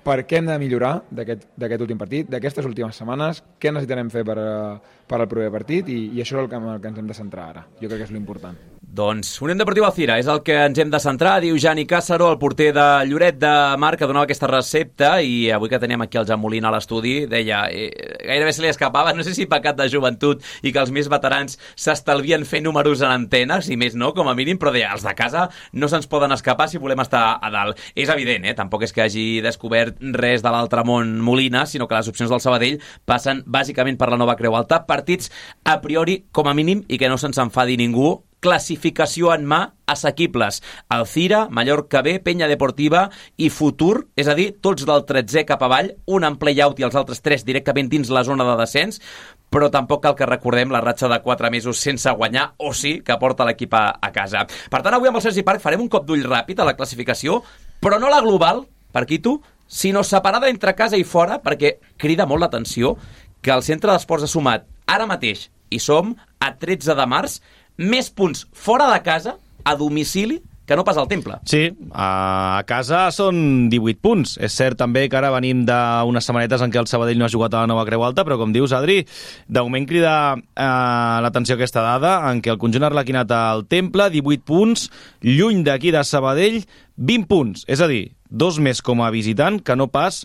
per què hem de millorar d'aquest últim partit, d'aquestes últimes setmanes, què necessitarem fer per al proper partit i això és el que ens hem de centrar ara. Jo crec que és l'important. Doncs Unión Deportiva Alzira és el que ens hem de centrar, diu Jani Càssaro, el porter de Lloret de Mar, que donava aquesta recepta, i avui que teníem aquí el Jan Molina a l'estudi, deia, gairebé se li escapava, no sé si pecat de joventut i que els més veterans s'estalvien fer números en antenes, i més no, com a mínim, però deia, els de casa no se'ns poden escapar si volem estar a dalt. És evident, tampoc és que hagi descobert res de l'altre món Molina, sinó que les opcions del Sabadell passen bàsicament per la Nova Creu Alta, partits a priori com a mínim i que no se'ns enfadi ningú, classificació en mà, assequibles. Alzira, Mallorca B, Penya Deportiva i Futur, és a dir, tots del 13è cap avall, un en play-out i els altres 3 directament dins la zona de descens, però tampoc cal que recordem la ratxa de 4 mesos sense guanyar, o sí, que porta l'equip a casa. Per tant, avui amb el Sergi Parc farem un cop d'ull ràpid a la classificació, però no la global, per Quito, sinó separada entre casa i fora, perquè crida molt l'atenció que el Centre d'Esports ha sumat ara mateix, i som a 13 de març, més punts fora de casa, a domicili, que no pas al Temple. Sí, a casa són 18 punts. És cert també que ara venim d'unes setmanetes en què el Sabadell no ha jugat a la Nova Creu Alta, però com dius, Adri, de moment crida l'atenció aquesta dada en què el conjunt arlequinat al Temple, 18 punts, lluny d'aquí de Sabadell, 20 punts. És a dir, 2 més com a visitant que no pas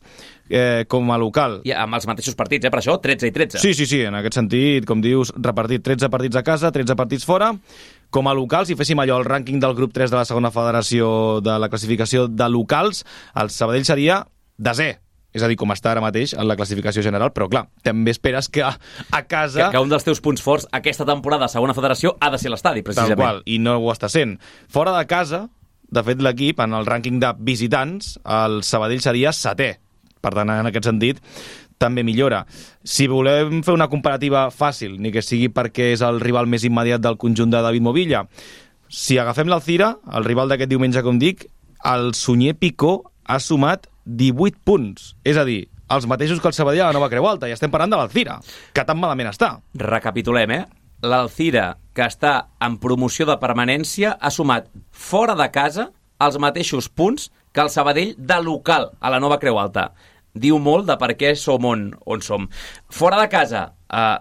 com a local. I amb els mateixos partits, per això, 13 i 13. Sí, en aquest sentit, com dius, repartit 13 partits a casa, 13 partits fora. Com a locals, si féssim allò, el rànquing del grup 3 de la segona federació de la classificació de locals, el Sabadell seria 10è. És a dir, com està ara mateix en la classificació general, però clar, també esperes que a casa... Que un dels teus punts forts aquesta temporada a segona federació ha de ser l'estadi, precisament. Tal qual, i no ho està sent. Fora de casa, de fet, l'equip, en el rànquing de visitants, el Sabadell seria 7è. Per tant, en aquest sentit, també millora. Si volem fer una comparativa fàcil, ni que sigui perquè és el rival més immediat del conjunt de David Movilla, si agafem l'Alzira, el rival d'aquest diumenge, com dic, el Sunyer Picó ha sumat 18 punts. És a dir, els mateixos que el Sabadell a la Nova Creu Alta, i estem parlant de l'Alzira, que tan malament està. Recapitulem, L'Alzira, que està en promoció de permanència, ha sumat fora de casa els mateixos punts que el Sabadell de local a la Nova Creu Alta. Diu molt de per què som on som. Fora de casa,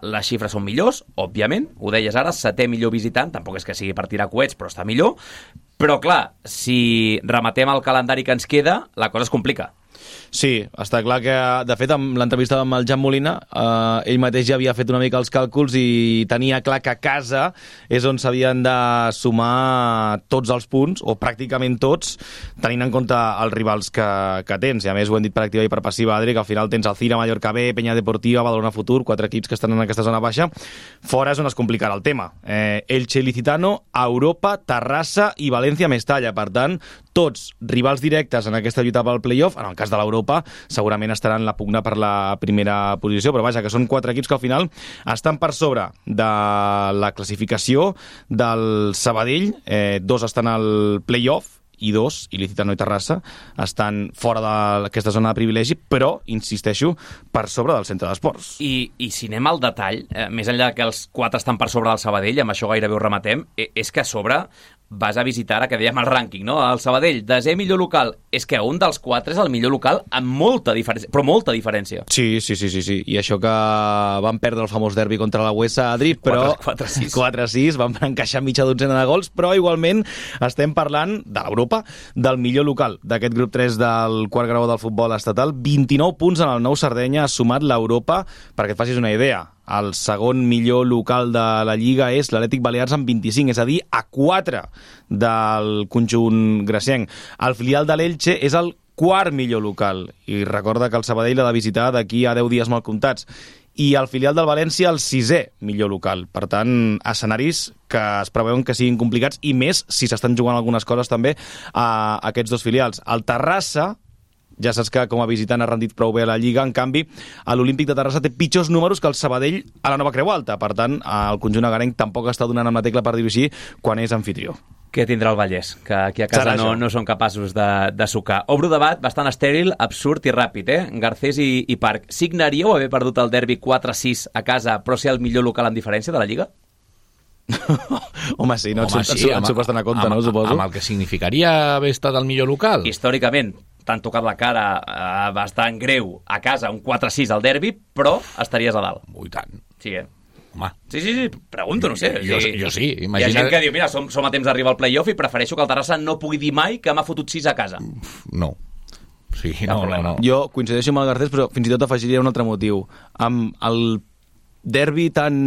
les xifres són millors, òbviament, ho deies ara, 7è millor visitant, tampoc és que sigui per tirar coets, però està millor. Però clar, si rematem el calendari que ens queda, la cosa es complica. Sí, està clar que, de fet, amb l'entrevista amb el Jan Molina, ell mateix ja havia fet una mica els càlculs i tenia clar que a casa és on s'havien de sumar tots els punts, o pràcticament tots, tenint en compte els rivals que tens. I a més ho hem dit per activa i per passiva, Adri, que al final tens Alzira, Mallorca B, Penya Deportiva, Badalona Futur, 4 equips que estan en aquesta zona baixa. Fora és on es complicarà el tema. Elche, Licitano, Europa, Terrassa i València, Mestalla. Per tant, tots rivals directes en aquesta lluita pel play-off. En el cas de l'Europa segurament estaran la pugna per la primera posició, però vaja, que són 4 equips que al final estan per sobre de la classificació del Sabadell, 2 estan al play-off i 2, Licitano i Terrassa, estan fora d'aquesta zona de privilegi, però, insisteixo, per sobre del centre d'esports. I si anem al detall, més enllà que els 4 estan per sobre del Sabadell, amb això gairebé ho rematem, és que a sobre vas a visitar, ara que dèiem el rànquing, no? El Sabadell, desè millor local. És que un dels 4 és el millor local amb molta diferència, però molta diferència. Sí. I això que van perdre el famós derbi contra la Huesa, Adri, però 4-6. 4-6, van encaixar mitja dotzena de gols, però igualment estem parlant de l'Europa, del millor local d'aquest grup 3 del quart grau del futbol estatal. 29 punts en el Nou Sardenya, ha sumat l'Europa, perquè et facis una idea. El segon millor local de la Lliga és l'Atlètic Balears amb 25, és a dir, a 4 del conjunt gracienc. El filial de l'Elche és el quart millor local, i recorda que el Sabadell l'ha de visitar d'aquí a 10 dies mal comptats. I el filial del València el 6è millor local. Per tant, escenaris que es preveuen que siguin complicats, i més si s'estan jugant algunes coses també a aquests dos filials. El Terrassa, ja saps que com a visitant ha rendit prou bé a la Lliga, en canvi, l'Olímpic de Terrassa té pitjors números que el Sabadell a la Nova Creu Alta. Per tant, el conjunt agarenc tampoc està donant amb la tecla, per dir-ho així, quan és anfitrió. Què tindrà el Vallès, que aquí a casa no són capaços de sucar. Obro debat bastant estèril, absurd i ràpid, Garcés i Parc. Signaríeu haver perdut el derbi 4-6 a casa, però ser el millor local amb diferència de la Lliga? Home, sí, no et s'ho bastant a compte, no, suposo? Amb el que significaria haver estat el millor local? Històricament, t'han tocat la cara bastant greu a casa, un 4-6 al derbi, però estaries a dalt. Ui, tant. Sí, Home. Sí, pregunto, no sé. Jo sí, imagina... Hi ha gent que diu, mira, som a temps d'arribar al play-off i prefereixo que el Terrassa no pugui dir mai que m'ha fotut 6 a casa. No. Sí, no. Jo coincideixo amb el Garcés, però fins i tot afegiria un altre motiu. Amb el derbi tan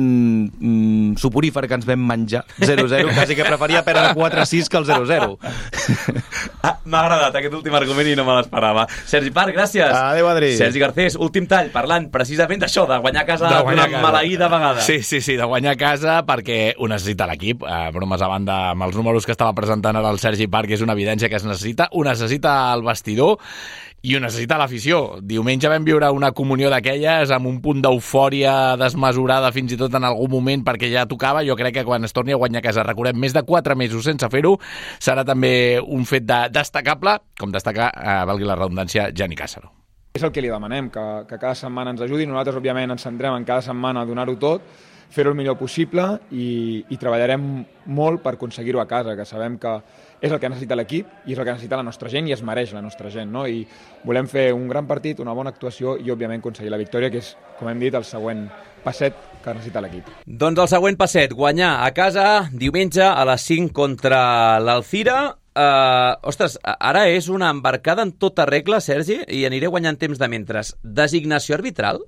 suporífer que ens vam menjar, 0-0, quasi que preferia perdre 4-6 que el 0-0. M'ha agradat aquest últim argument i no me l'esperava. Sergi Parc, gràcies. Adéu, Adri. Sergi Garcés, últim tall, parlant precisament d'això, de guanyar a casa d'una maleïda vegada. Sí, de guanyar a casa perquè ho necessita l'equip. Bromes a banda, amb els números que estava presentant ara el Sergi Parc, és una evidència que es necessita. Ho necessita el vestidor i ho necessita l'afició. Diumenge vam viure una comunió d'aquelles amb un punt d'eufòria desmesurada fins i tot en algun moment perquè ja tocava. Jo crec que quan es torni a guanyar a casa, recordem, més de 4 mesos sense fer-ho, serà també un fet destacable, com destaca, valgui la redundància, Gianni Càssaro. És el que li demanem, que cada setmana ens ajudi. Nosaltres, òbviament, ens centrem en cada setmana a donar-ho tot, fer-ho el millor possible i treballarem molt per aconseguir-ho a casa, que sabem que és el que necessita l'equip i és el que necessita la nostra gent i es mereix la nostra gent, no? I volem fer un gran partit, una bona actuació i, òbviament, aconseguir la victòria, que és, com hem dit, el següent passet que necessita l'equip. Doncs el següent passet, guanyar a casa diumenge a les 5 contra l'Alcira. Ostres, ara és una embarcada en tota regla, Sergi, i aniré guanyant temps de mentres. Designació arbitral?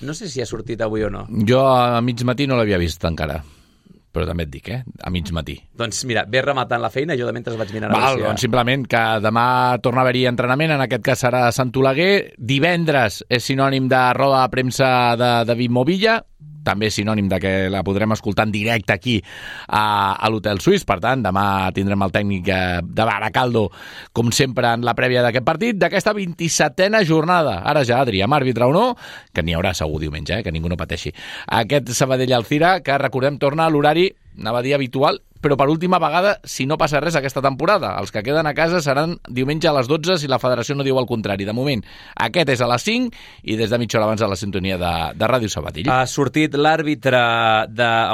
No sé si ha sortit avui o no. Jo a mig matí no l'havia vist encara, però també et dic, a mig matí. Doncs mira, ve rematant la feina, jo de mentre vaig mirant... Doncs simplement que demà torna a haver-hi entrenament, en aquest cas serà a Sant Oleguer. Divendres és sinònim de roda de premsa de David Movilla, també sinònim de que la podrem escoltar en directe aquí a l'Hotel Suís. Per tant, demà tindrem el tècnic de Baracaldo, com sempre, en la prèvia d'aquest partit, d'aquesta 27a jornada. Ara ja, Adri, amb àrbitre o no, que n'hi haurà segur diumenge, que ningú no pateixi. Aquest Sabadell-Alcira, que recordem, torna a l'horari, anava a dir habitual, però per última vegada, si no passa res aquesta temporada. Els que queden a casa seran diumenge a les 12 si la federació no diu el contrari. De moment, aquest és a les 5 i des de mitja hora abans a la sintonia de Ràdio Sabadell. Ha sortit l'àrbitre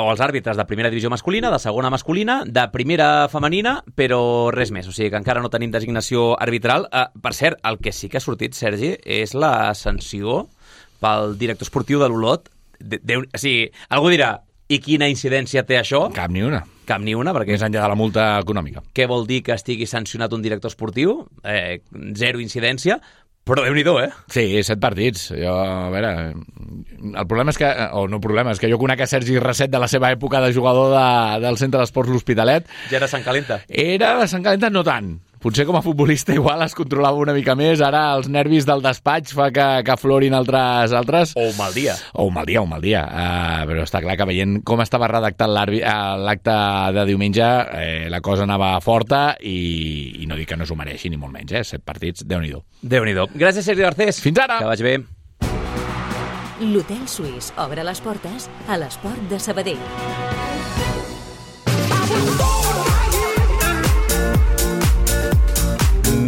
o els àrbitres de primera divisió masculina, de segona masculina, de primera femenina, però res més. O sigui que encara no tenim designació arbitral. Per cert, el que sí que ha sortit, Sergi, és la sanció pel director esportiu de l'Olot. O sigui, algú dirà, i quina incidència té això? Cap ni una, perquè... Més enllà de la multa econòmica. Què vol dir que estigui sancionat un director esportiu? Zero incidència, però Déu-n'hi-do, Sí, 7 partits. Jo, a veure, el problema és que... és que jo conec a Sergi Reset de la seva època de jugador del Centre d'Esports L'Hospitalet. Ja era Sant Calenta. Era Sant Calenta no tant. Potser com a futbolista igual es controlava una mica més. Ara els nervis del despatx fa que aflorin altres. O un mal dia. Però està clar que veient com estava redactat l'acte de diumenge, la cosa anava forta i no dic que no s'ho mereixi, ni molt menys. 7 partits, Déu-n'hi-do. Déu-n'hi-do. Gràcies, Sergi Garcés. Fins ara. Que vagi bé. L'Hotel Suís obre les portes a l'Esport de Sabadell.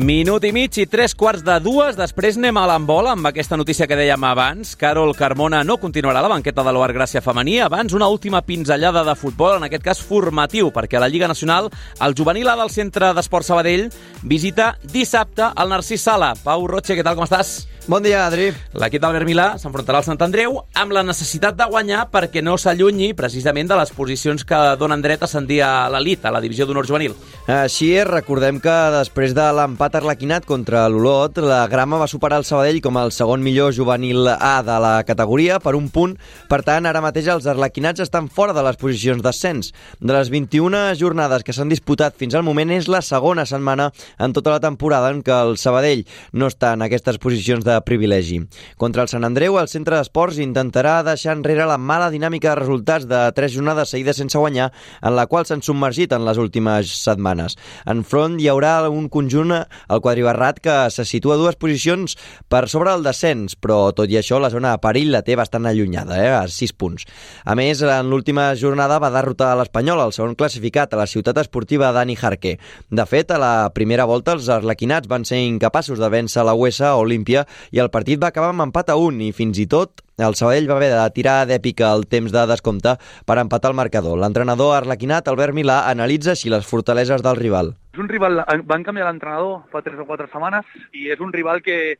Minut i mig i 3:45. Després anem a l'handbol amb aquesta notícia que dèiem abans. Carol Carmona no continuarà a la banqueta de l'Oar Gràcia femení. Abans, una última pinzellada de futbol, en aquest cas formatiu, perquè a la Lliga Nacional el juvenil A del Centre d'Esport Sabadell visita dissabte el Narcís Sala. Pau Roche, què tal, com estàs? Bon dia, Adri. L'equip d'Albert Milà s'enfrontarà al Sant Andreu amb la necessitat de guanyar perquè no s'allunyi precisament de les posicions que donen dret a ascendir a l'elit, a la divisió d'honor juvenil. Així és, recordem que després de l'empat arlequinat contra l'Olot, la Grama va superar el Sabadell com el segon millor juvenil A de la categoria per un punt. Per tant, ara mateix els arlequinats estan fora de les posicions d'ascens. De les 21 jornades que s'han disputat fins al moment, és la segona setmana en tota la temporada en què el Sabadell no està en aquestes posicions de privilegi. Contra el Sant Andreu, el centre d'esports intentarà deixar enrere la mala dinàmica de resultats de 3 jornades seguides sense guanyar, en la qual s'han submergit en les últimes setmanes. Enfront hi haurà un conjunt, el quadribarrat, que se situa 2 posicions per sobre el descens, però tot i això la zona de perill la té bastant allunyada, a 6 punts. A més, en l'última jornada va derrotar a l'Espanyol, el segon classificat, a la ciutat esportiva Dani Jarque. De fet, a la primera volta els arlequinats van ser incapaços de vèncer la USA Olímpia i el partit va acabar amb empat a 1 i fins i tot el Sabadell va haver de tirar d'èpica el temps de descompte per empatar el marcador. L'entrenador arlequinat, Albert Milà, analitza així les fortaleses del rival. És un rival, van canviar l'entrenador fa 3 o 4 setmanes i és un rival que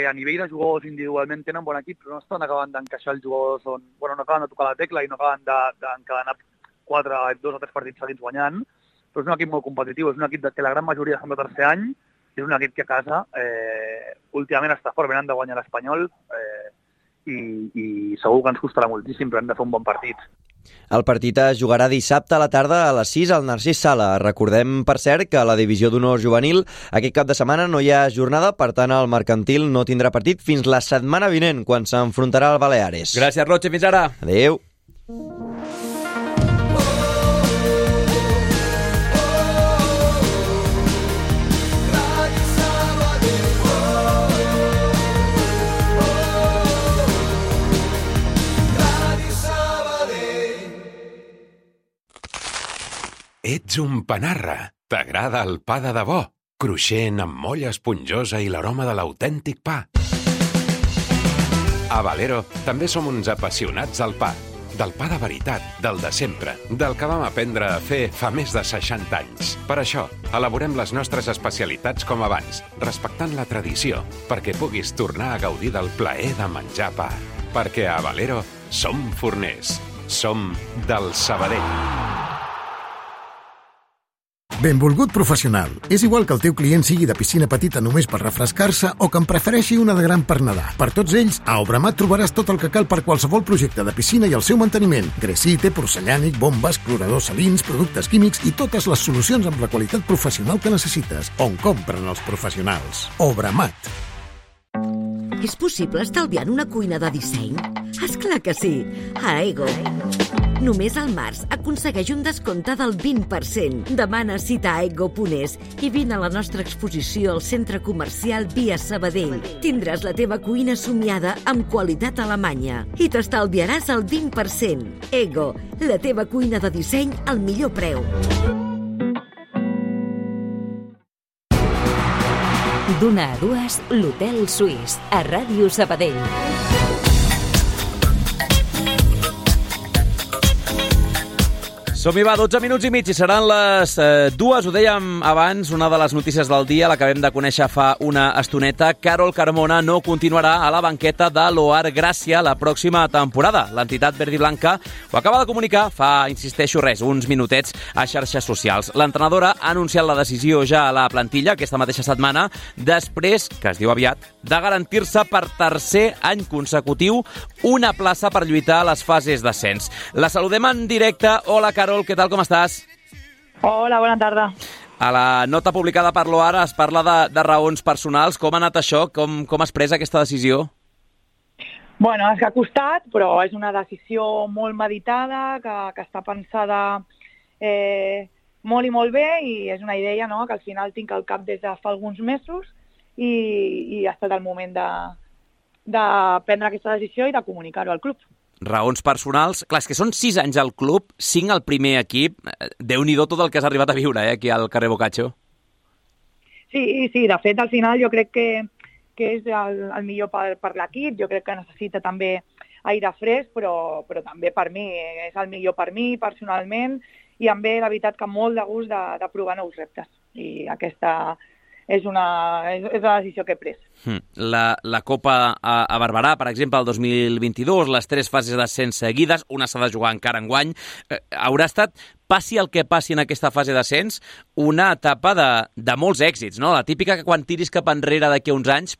a nivell de jugadors individualment tenen bon equip, però no estan acabant d'encaixar els jugadors no acaben de tocar la tecla i no acaben d'encadenar 2 o 3 partits seguits guanyant, però és un equip molt competitiu, és un equip que la gran majoria són de tercer any, és un equip que a casa últimament està fort, venen de guanyar l'Espanyol i segur que ens costarà moltíssim, però hem de fer un bon partit. El partit es jugarà dissabte a la tarda a les 6 al Narcís Sala. Recordem, per cert, que a la divisió d'honor juvenil aquest cap de setmana no hi ha jornada, per tant el Mercantil no tindrà partit fins la setmana vinent, quan s'enfrontarà al Baleares. Gràcies, Roche, fins ara. Adéu. Ets un panarra. T'agrada el pa de debò, cruixent, amb molla esponjosa i l'aroma de l'autèntic pa. A Valero també som uns apassionats del pa. Del pa de veritat, del de sempre, del que vam aprendre a fer fa més de 60 anys. Per això, elaborem les nostres especialitats com abans, respectant la tradició, perquè puguis tornar a gaudir del plaer de menjar pa. Perquè a Valero som forners. Som del Sabadell. Benvolgut professional. És igual que el teu client sigui de piscina petita només per refrescar-se o que en prefereixi una de gran per nedar. Per tots ells, a Obramat trobaràs tot el que cal per qualsevol projecte de piscina i el seu manteniment. Gresite, porcellànic, bombes, cloradors salins, productes químics i totes les solucions amb la qualitat professional que necessites. On compren els professionals. Obramat. És possible estalviar en una cuina de disseny? Esclar que sí! A Ego. Només al març aconsegueix un descompte del 20%. Demana cita a ego.es i vine a la nostra exposició al Centre Comercial Via Sabadell. Tindràs la teva cuina somiada amb qualitat alemanya i t'estalviaràs el 20%. Ego, la teva cuina de disseny al millor preu. D'una a 2, l'Hotel Suís, a Ràdio Sabadell. Som-hi, va, 12 minuts i mig i seran les 2, ho dèiem abans, una de les notícies del dia, l'acabem de conèixer fa una estoneta. Carol Carmona no continuarà a la banqueta de l'Oar Gràcia la pròxima temporada. L'entitat verd i blanca ho acaba de comunicar fa, insisteixo, uns minutets a xarxes socials. L'entrenadora ha anunciat la decisió ja a la plantilla aquesta mateixa setmana, després, que es diu aviat, de garantir-se per tercer any consecutiu una plaça per lluitar a les fases d'ascens. La saludem en directe. Hola, Carol, què tal, com estàs? Hola, bona tarda. A la nota publicada per l'Oar es parla de raons personals. Com ha anat això? Com has pres aquesta decisió? Bueno, és que ha costat, però és una decisió molt meditada, que està pensada molt i molt bé, i és una idea, no?, que al final tinc al cap des de fa alguns mesos i ha estat el moment de prendre aquesta decisió i de comunicar-ho al club. Raons personals. Clar, és que són 6 anys al club, 5 al primer equip. Déu-n'hi-do tot el que has arribat a viure, aquí al carrer Boccaccio. Sí, Sí, de fet, al final jo crec que és el millor per l'equip, jo crec que necessita també aire fresc, però també per mi, és el millor per mi personalment, i em ve la veritat que molt de gust de provar nous reptes, i aquesta és la decisió que he pres. La Copa a Barberà, per exemple, el 2022, les 3 fases d'ascens seguides, una s'ha de jugar encara enguany, haurà estat, passi el que passi en aquesta fase d'ascens, una etapa de molts èxits, no? La típica que quan tiris cap enrere d'aquí a uns anys,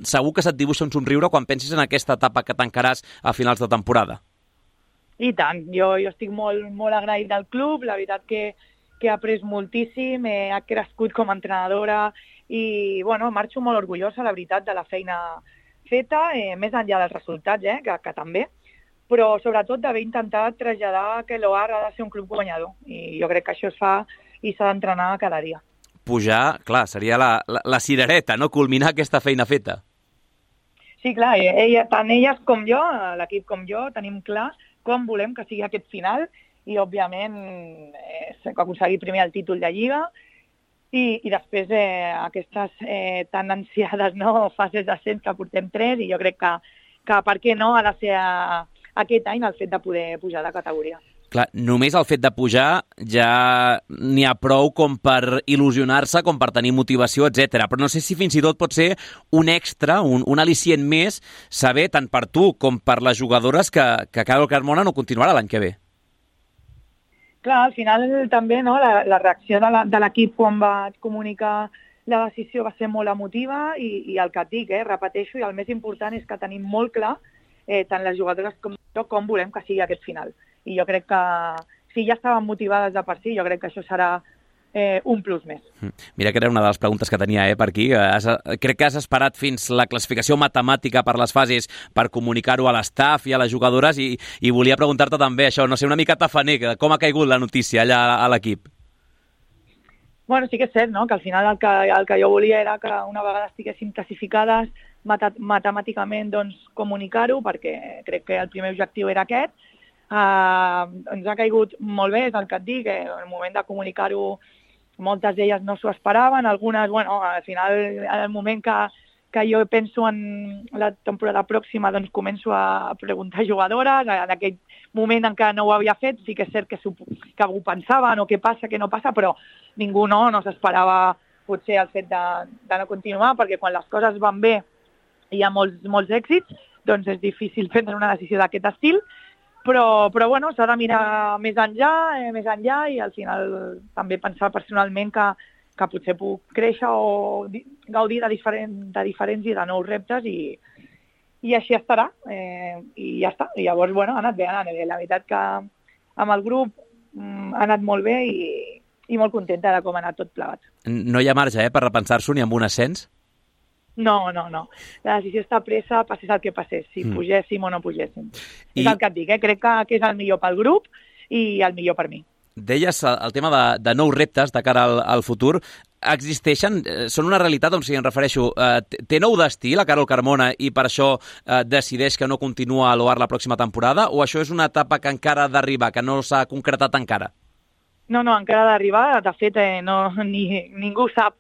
segur que se't dibuixa un somriure quan pensis en aquesta etapa que tancaràs a finals de temporada. I tant, jo estic molt, molt agraït del club, la veritat que he après moltíssim, he crescut com a entrenadora i marxo molt orgullosa, la veritat, de la feina feta, més enllà dels resultats, que també, però sobretot d'haver intentat traslladar que l'OAR ha de ser un club guanyador, i jo crec que això es fa i s'ha d'entrenar cada dia. Pujar, clar, seria la cirereta, no? Culminar aquesta feina feta. Sí, clar, tant elles com jo, l'equip com jo, tenim clar com volem que sigui aquest final, i òbviament aconseguir primer el títol de Lliga i després aquestes tan ansiades fases d'ascens que portem 3, i jo crec que per què no ha de ser aquest any el fet de poder pujar de categoria. Clar, només el fet de pujar ja n'hi ha prou com per il·lusionar-se, com per tenir motivació, etc. Però no sé si fins i tot pot ser un extra, un al·licient més, saber tant per tu com per les jugadores que Carol Carmona no continuarà l'any que ve. Clar, al final també la reacció de l'equip quan vaig comunicar la decisió va ser molt emotiva i el que et dic, repeteixo, i el més important és que tenim molt clar, tant les jugadores com jo, com volem que sigui aquest final. I jo crec que si ja estaven motivades de per si, jo crec que això serà un plus més. Mira que era una de les preguntes que tenia per aquí. Crec que has esperat fins la classificació matemàtica per les fases per comunicar-ho a l'estaf i a les jugadores i volia preguntar-te també això, no sé, una mica tafaner, com ha caigut la notícia allà a l'equip? Bueno, sí que és cert, no?, que al final el que jo volia era que una vegada estiguéssim classificades matemàticament comunicar-ho, perquè crec que el primer objectiu era aquest. Ens ha caigut molt bé, és el que et dic, en el moment de comunicar-ho moltes d'elles no s'ho esperaven, algunes, al final, en el moment que jo penso en la temporada pròxima, doncs començo a preguntar a jugadores, en aquell moment en què no ho havia fet, sí que és cert que ho pensaven o què passa, què no passa, però ningú no s'esperava potser el fet de no continuar, perquè quan les coses van bé i hi ha molts èxits, doncs és difícil prendre una decisió d'aquest estil, però s'ha de mirar més enllà i al final també pensar personalment que potser puc créixer o gaudir de diferents i de nous reptes i així estarà. I ja està. I llavors, ha anat bé. La veritat que amb el grup ha anat molt bé i molt contenta de com ha anat tot plegat. No hi ha marge, per repensar-s'ho ni amb un ascens? No. La decisió està presa, passés el que passés, si pugéssim o no pugéssim. És el que et dic, crec que és el millor pel grup i el millor per mi. Deies el tema de nous reptes de cara al futur. Existeixen? Són una realitat? Em refereixo, té nou destí la Carol Carmona i per això decideix que no continua a l'OAR la pròxima temporada? O això és una etapa que encara ha d'arribar, que no s'ha concretat encara? No, encara ha d'arribar. De fet, ningú sap,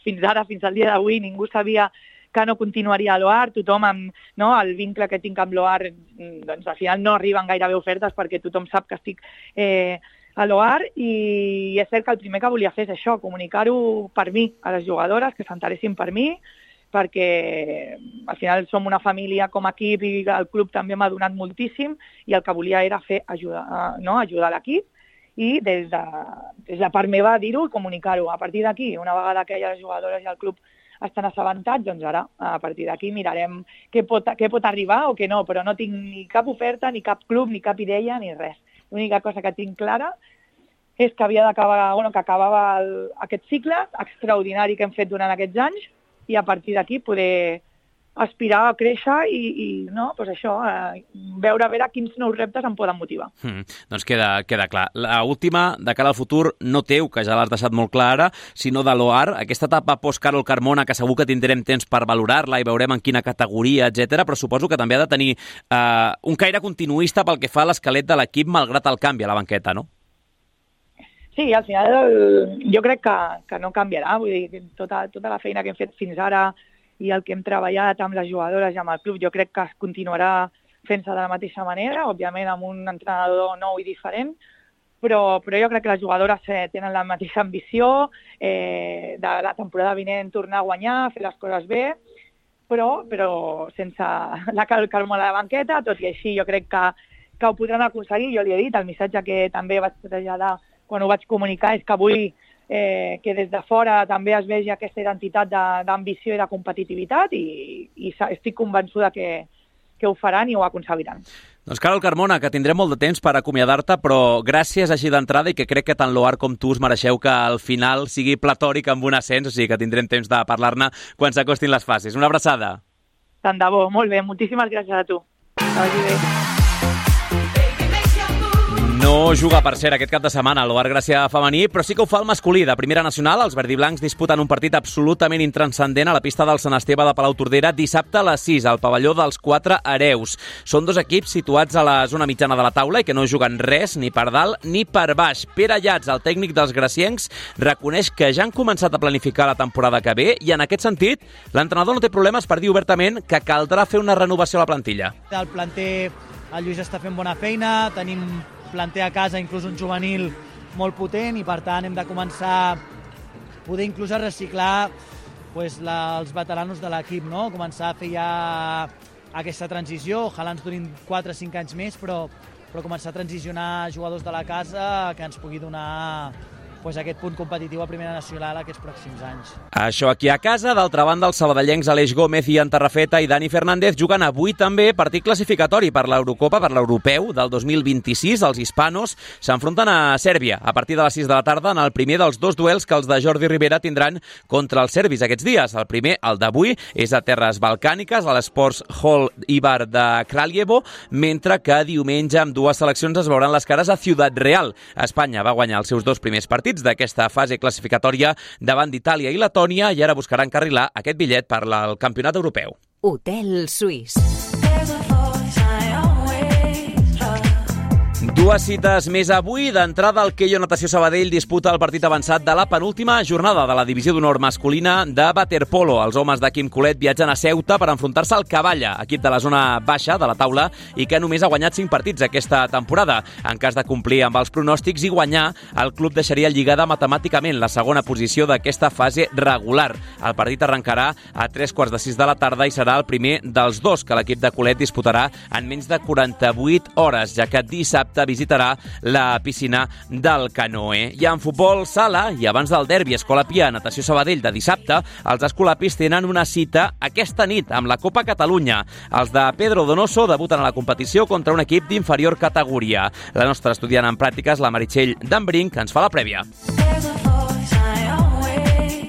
fins ara, fins al dia d'avui, ningú sabia que no continuaria a l'OAR. Tothom, el vincle que tinc amb l'OAR, doncs al final no arriben gairebé ofertes perquè tothom sap que estic a l'OAR i és cert que el primer que volia fer és això, comunicar-ho per mi, a les jugadores, que s'interessin per mi, perquè al final som una família com a equip i el club també m'ha donat moltíssim i el que volia era ajudar l'equip i des de part meva dir-ho i comunicar-ho. A partir d'aquí, una vegada que les jugadores i el club estan assabentats, doncs ara, a partir d'aquí, mirarem què pot arribar o què no, però no tinc ni cap oferta, ni cap club, ni cap idea, ni res. L'única cosa que tinc clara és que havia d'acabar, que acabava aquest cicle extraordinari que hem fet durant aquests anys i a partir d'aquí poder aspirar a créixer i veure quins nous reptes em poden motivar. Doncs queda clar. L'última, de cara al futur, no teu, que ja l'has deixat molt clara, sinó de l'OAR, aquesta etapa post-Carol Carmona, que segur que tindrem temps per valorar-la i veurem en quina categoria, etc. Però suposo que també ha de tenir un caire continuista pel que fa a l'esquelet de l'equip, malgrat el canvi a la banqueta, no? Sí, al final jo crec que no canviarà. Vull dir, tota la feina que hem fet fins ara i el que hem treballat amb les jugadores i amb el club, jo crec que es continuarà fent-se de la mateixa manera, òbviament amb un entrenador nou i diferent, però jo crec que les jugadores tenen la mateixa ambició de la temporada vinent tornar a guanyar, fer les coses bé, però sense la calma a la banqueta. Tot i així jo crec que ho podran aconseguir. Jo li he dit, el missatge que també vaig traslladar quan ho vaig comunicar és que vull que des de fora també es vegi aquesta identitat d'ambició i de competitivitat i estic convençuda que ho faran i ho aconseguiran. Doncs Carol Carmona, que tindrem molt de temps per acomiadar-te, però gràcies així d'entrada i que crec que tant l'OAR com tu us mereixeu que al final sigui platòric amb un ascens, o sigui que tindrem temps de parlar-ne quan s'acostin les fases. Una abraçada. Tant de bo, molt bé, moltíssimes gràcies a tu. Que vagi bé. No juga, per cert, aquest cap de setmana a l'OAR Gràcia femení, però sí que ho fa el masculí. De primera nacional, els verdiblancs disputen un partit absolutament intranscendent a la pista del Sant Esteve de Palautordera dissabte a les 6, al pavelló dels 4 hereus. Són dos equips situats a la zona mitjana de la taula i que no juguen res, ni per dalt ni per baix. Pere Llats, el tècnic dels graciencs, reconeix que ja han començat a planificar la temporada que ve i, en aquest sentit, l'entrenador no té problemes per dir obertament que caldrà fer una renovació a la plantilla. El planter, el Lluís està fent bona feina, tenim planter a casa, inclús un juvenil molt potent, i per tant hem de començar a poder inclús a reciclar els veteranos de l'equip, no? Començar a fer ja aquesta transició, ojalà ens durin 4 o 5 anys més, però començar a transicionar jugadors de la casa que ens pugui donar aquest punt competitiu a primera nacional aquests pròxims anys. Això aquí a casa. D'altra banda, els sabadellencs Aleix Gómez i Antarrafeta i Dani Fernández juguen avui també partit classificatori per l'Eurocopa, per l'Europeu del 2026. Els hispanos s'enfronten a Sèrbia a partir de les 6 de la tarda en el primer dels 2 duels que els de Jordi Rivera tindran contra els serbis aquests dies. El primer, el d'avui, és a terres balcàniques, a l'Sports Hall Ibar de Kraljevo, mentre que diumenge amb 2 seleccions es veuran les cares a Ciudad Real. Espanya va guanyar els seus 2 primers partits d'aquesta fase classificatòria davant d'Itàlia i Letònia i ara buscarà encarrilar aquest bitllet per al Campionat Europeu. Hotel Suís. 2 cites més avui. D'entrada, el Keio Natació Sabadell disputa el partit avançat de la penúltima jornada de la divisió d'honor masculina de waterpolo. Els homes de Quim Colet viatgen a Ceuta per enfrontar-se al Cavalla, equip de la zona baixa de la taula i que només ha guanyat 5 partits aquesta temporada. En cas de complir amb els pronòstics i guanyar, el club deixaria lligada matemàticament la segona posició d'aquesta fase regular. El partit arrencarà a 3:45 de la tarda i serà el primer dels 2 que l'equip de Colet disputarà en menys de 48 hores, ja que dissabte visitarà la piscina del Canoe. I en futbol sala, i abans del derbi Escola Pia Natació Sabadell de dissabte, els escolapis tenen una cita aquesta nit amb la Copa Catalunya. Els de Pedro Donoso debuten a la competició contra un equip d'inferior categoria. La nostra estudiant en pràctiques, la Meritxell Dambrinc, ens fa la prèvia.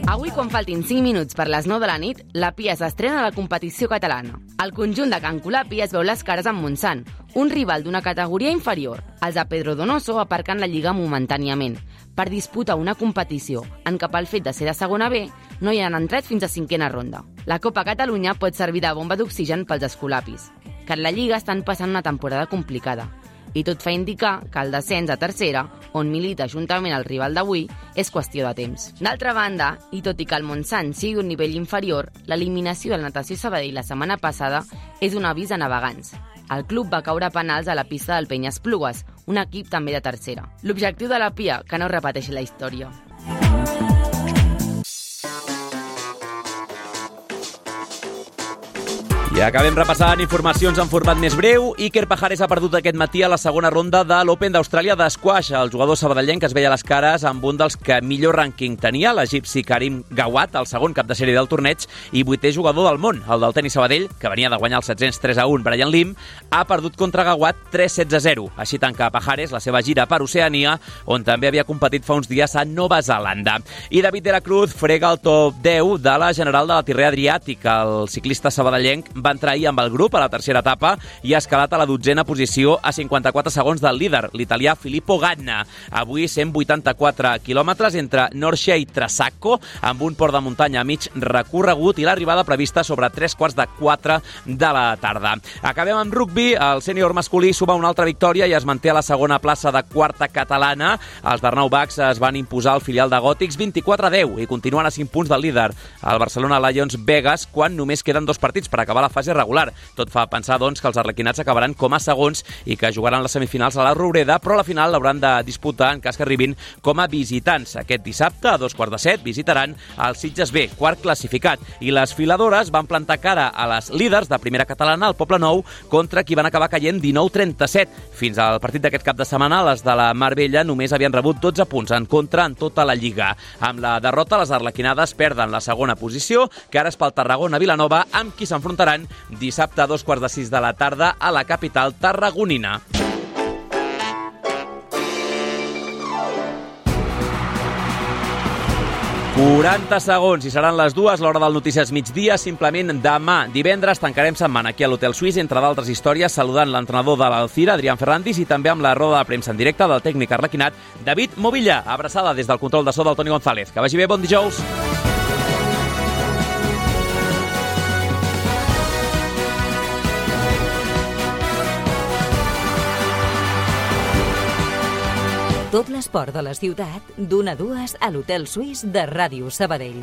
Avui, quan faltin 5 minuts per les 9 de la nit, la Pia s'estrena a la competició catalana. El conjunt de Can Colapi es veu les cares amb Montsant, un rival d'una categoria inferior. Els de Pedro Donoso aparquen la lliga momentàniament per disputar una competició en què pel fet de ser de segona B no hi han entrat fins a 5a ronda. La Copa Catalunya pot servir de bomba d'oxigen pels escolapis, que en la lliga estan passant una temporada complicada. I tot fa indicar que el descens a tercera, on milita juntament el rival d'avui, és qüestió de temps. D'altra banda, i tot i que el Montsant sigui un nivell inferior, l'eliminació del Natació Sabadell la setmana passada és un avís a navegants. El club va caure a penals a la pista del Penyesplugues, un equip també de tercera. L'objectiu de la Pia, que no repeteixi la història. I acabem repassant informacions en format més breu. Iker Pajares ha perdut aquest matí a la segona ronda de l'Open d'Austràlia d'esquash. El jugador sabadellenc es veia les cares amb un dels que millor rànquing tenia, l'egipci Karim Gawat, el segon cap de sèrie del torneig i 8è jugador del món. El del tenis Sabadell, que venia de guanyar el 703-1 Brian Lim, ha perdut contra Gawat 3-16-0. Així tanca Pajares la seva gira per Oceania, on també havia competit fa uns dies a Nova Zelanda. I David de la Cruz frega el top 10 de la general de la Tirrea Adriàtic. El ciclista sabadellenc va entrar ahir amb el grup a la tercera etapa i ha escalat a la 12a posició a 54 segons del líder, l'italià Filippo Ganna. Avui 184 quilòmetres entre Norcia i Trasacco, amb un port de muntanya a mig recorregut i l'arribada prevista sobre 3:45 de la tarda. Acabem amb rugbi. El sènior masculí suma una altra victòria i es manté a la segona plaça de quarta catalana. Els d'Arnau Bax es van imposar al filial de Gòtics 24-10 i continuen a 5 punts del líder, el Barcelona Lions Vegas, quan només queden 2 partits per acabar la fase regular. Tot fa pensar, doncs, que els arlequinats acabaran com a segons i que jugaran les semifinals a la Roureda, però a la final l'hauran de disputar en cas que arribin com a visitants. Aquest dissabte, a 2:15, visitaran el Sitges B, quart classificat. I les filadores van plantar cara a les líders de primera catalana, el Poble Nou, contra qui van acabar caient 19-37. Fins al partit d'aquest cap de setmana, les de la Marbella només havien rebut 12 punts en contra en tota la Lliga. Amb la derrota, les arlequinades perden la segona posició, que ara és pel Tarragona-Vilanova, amb qui s'enfrontaran dissabte a 2:15 de la tarda a la capital tarragonina. «40 segons i seran les 2, l'hora del Notícies Migdia. Simplement demà, divendres, tancarem setmana aquí a l'Hotel Suís, entre d'altres històries, saludant l'entrenador de l'Alcira, Adrián Ferrandis, i també amb la roda de premsa en directe del tècnic arlequinat, David Movilla. Abraçada des del control de so del Toni González. Que vagi bé, bon dijous. Tot l'esport de la ciutat, d'1 a 2 a l'Hotel Suís de Ràdio Sabadell.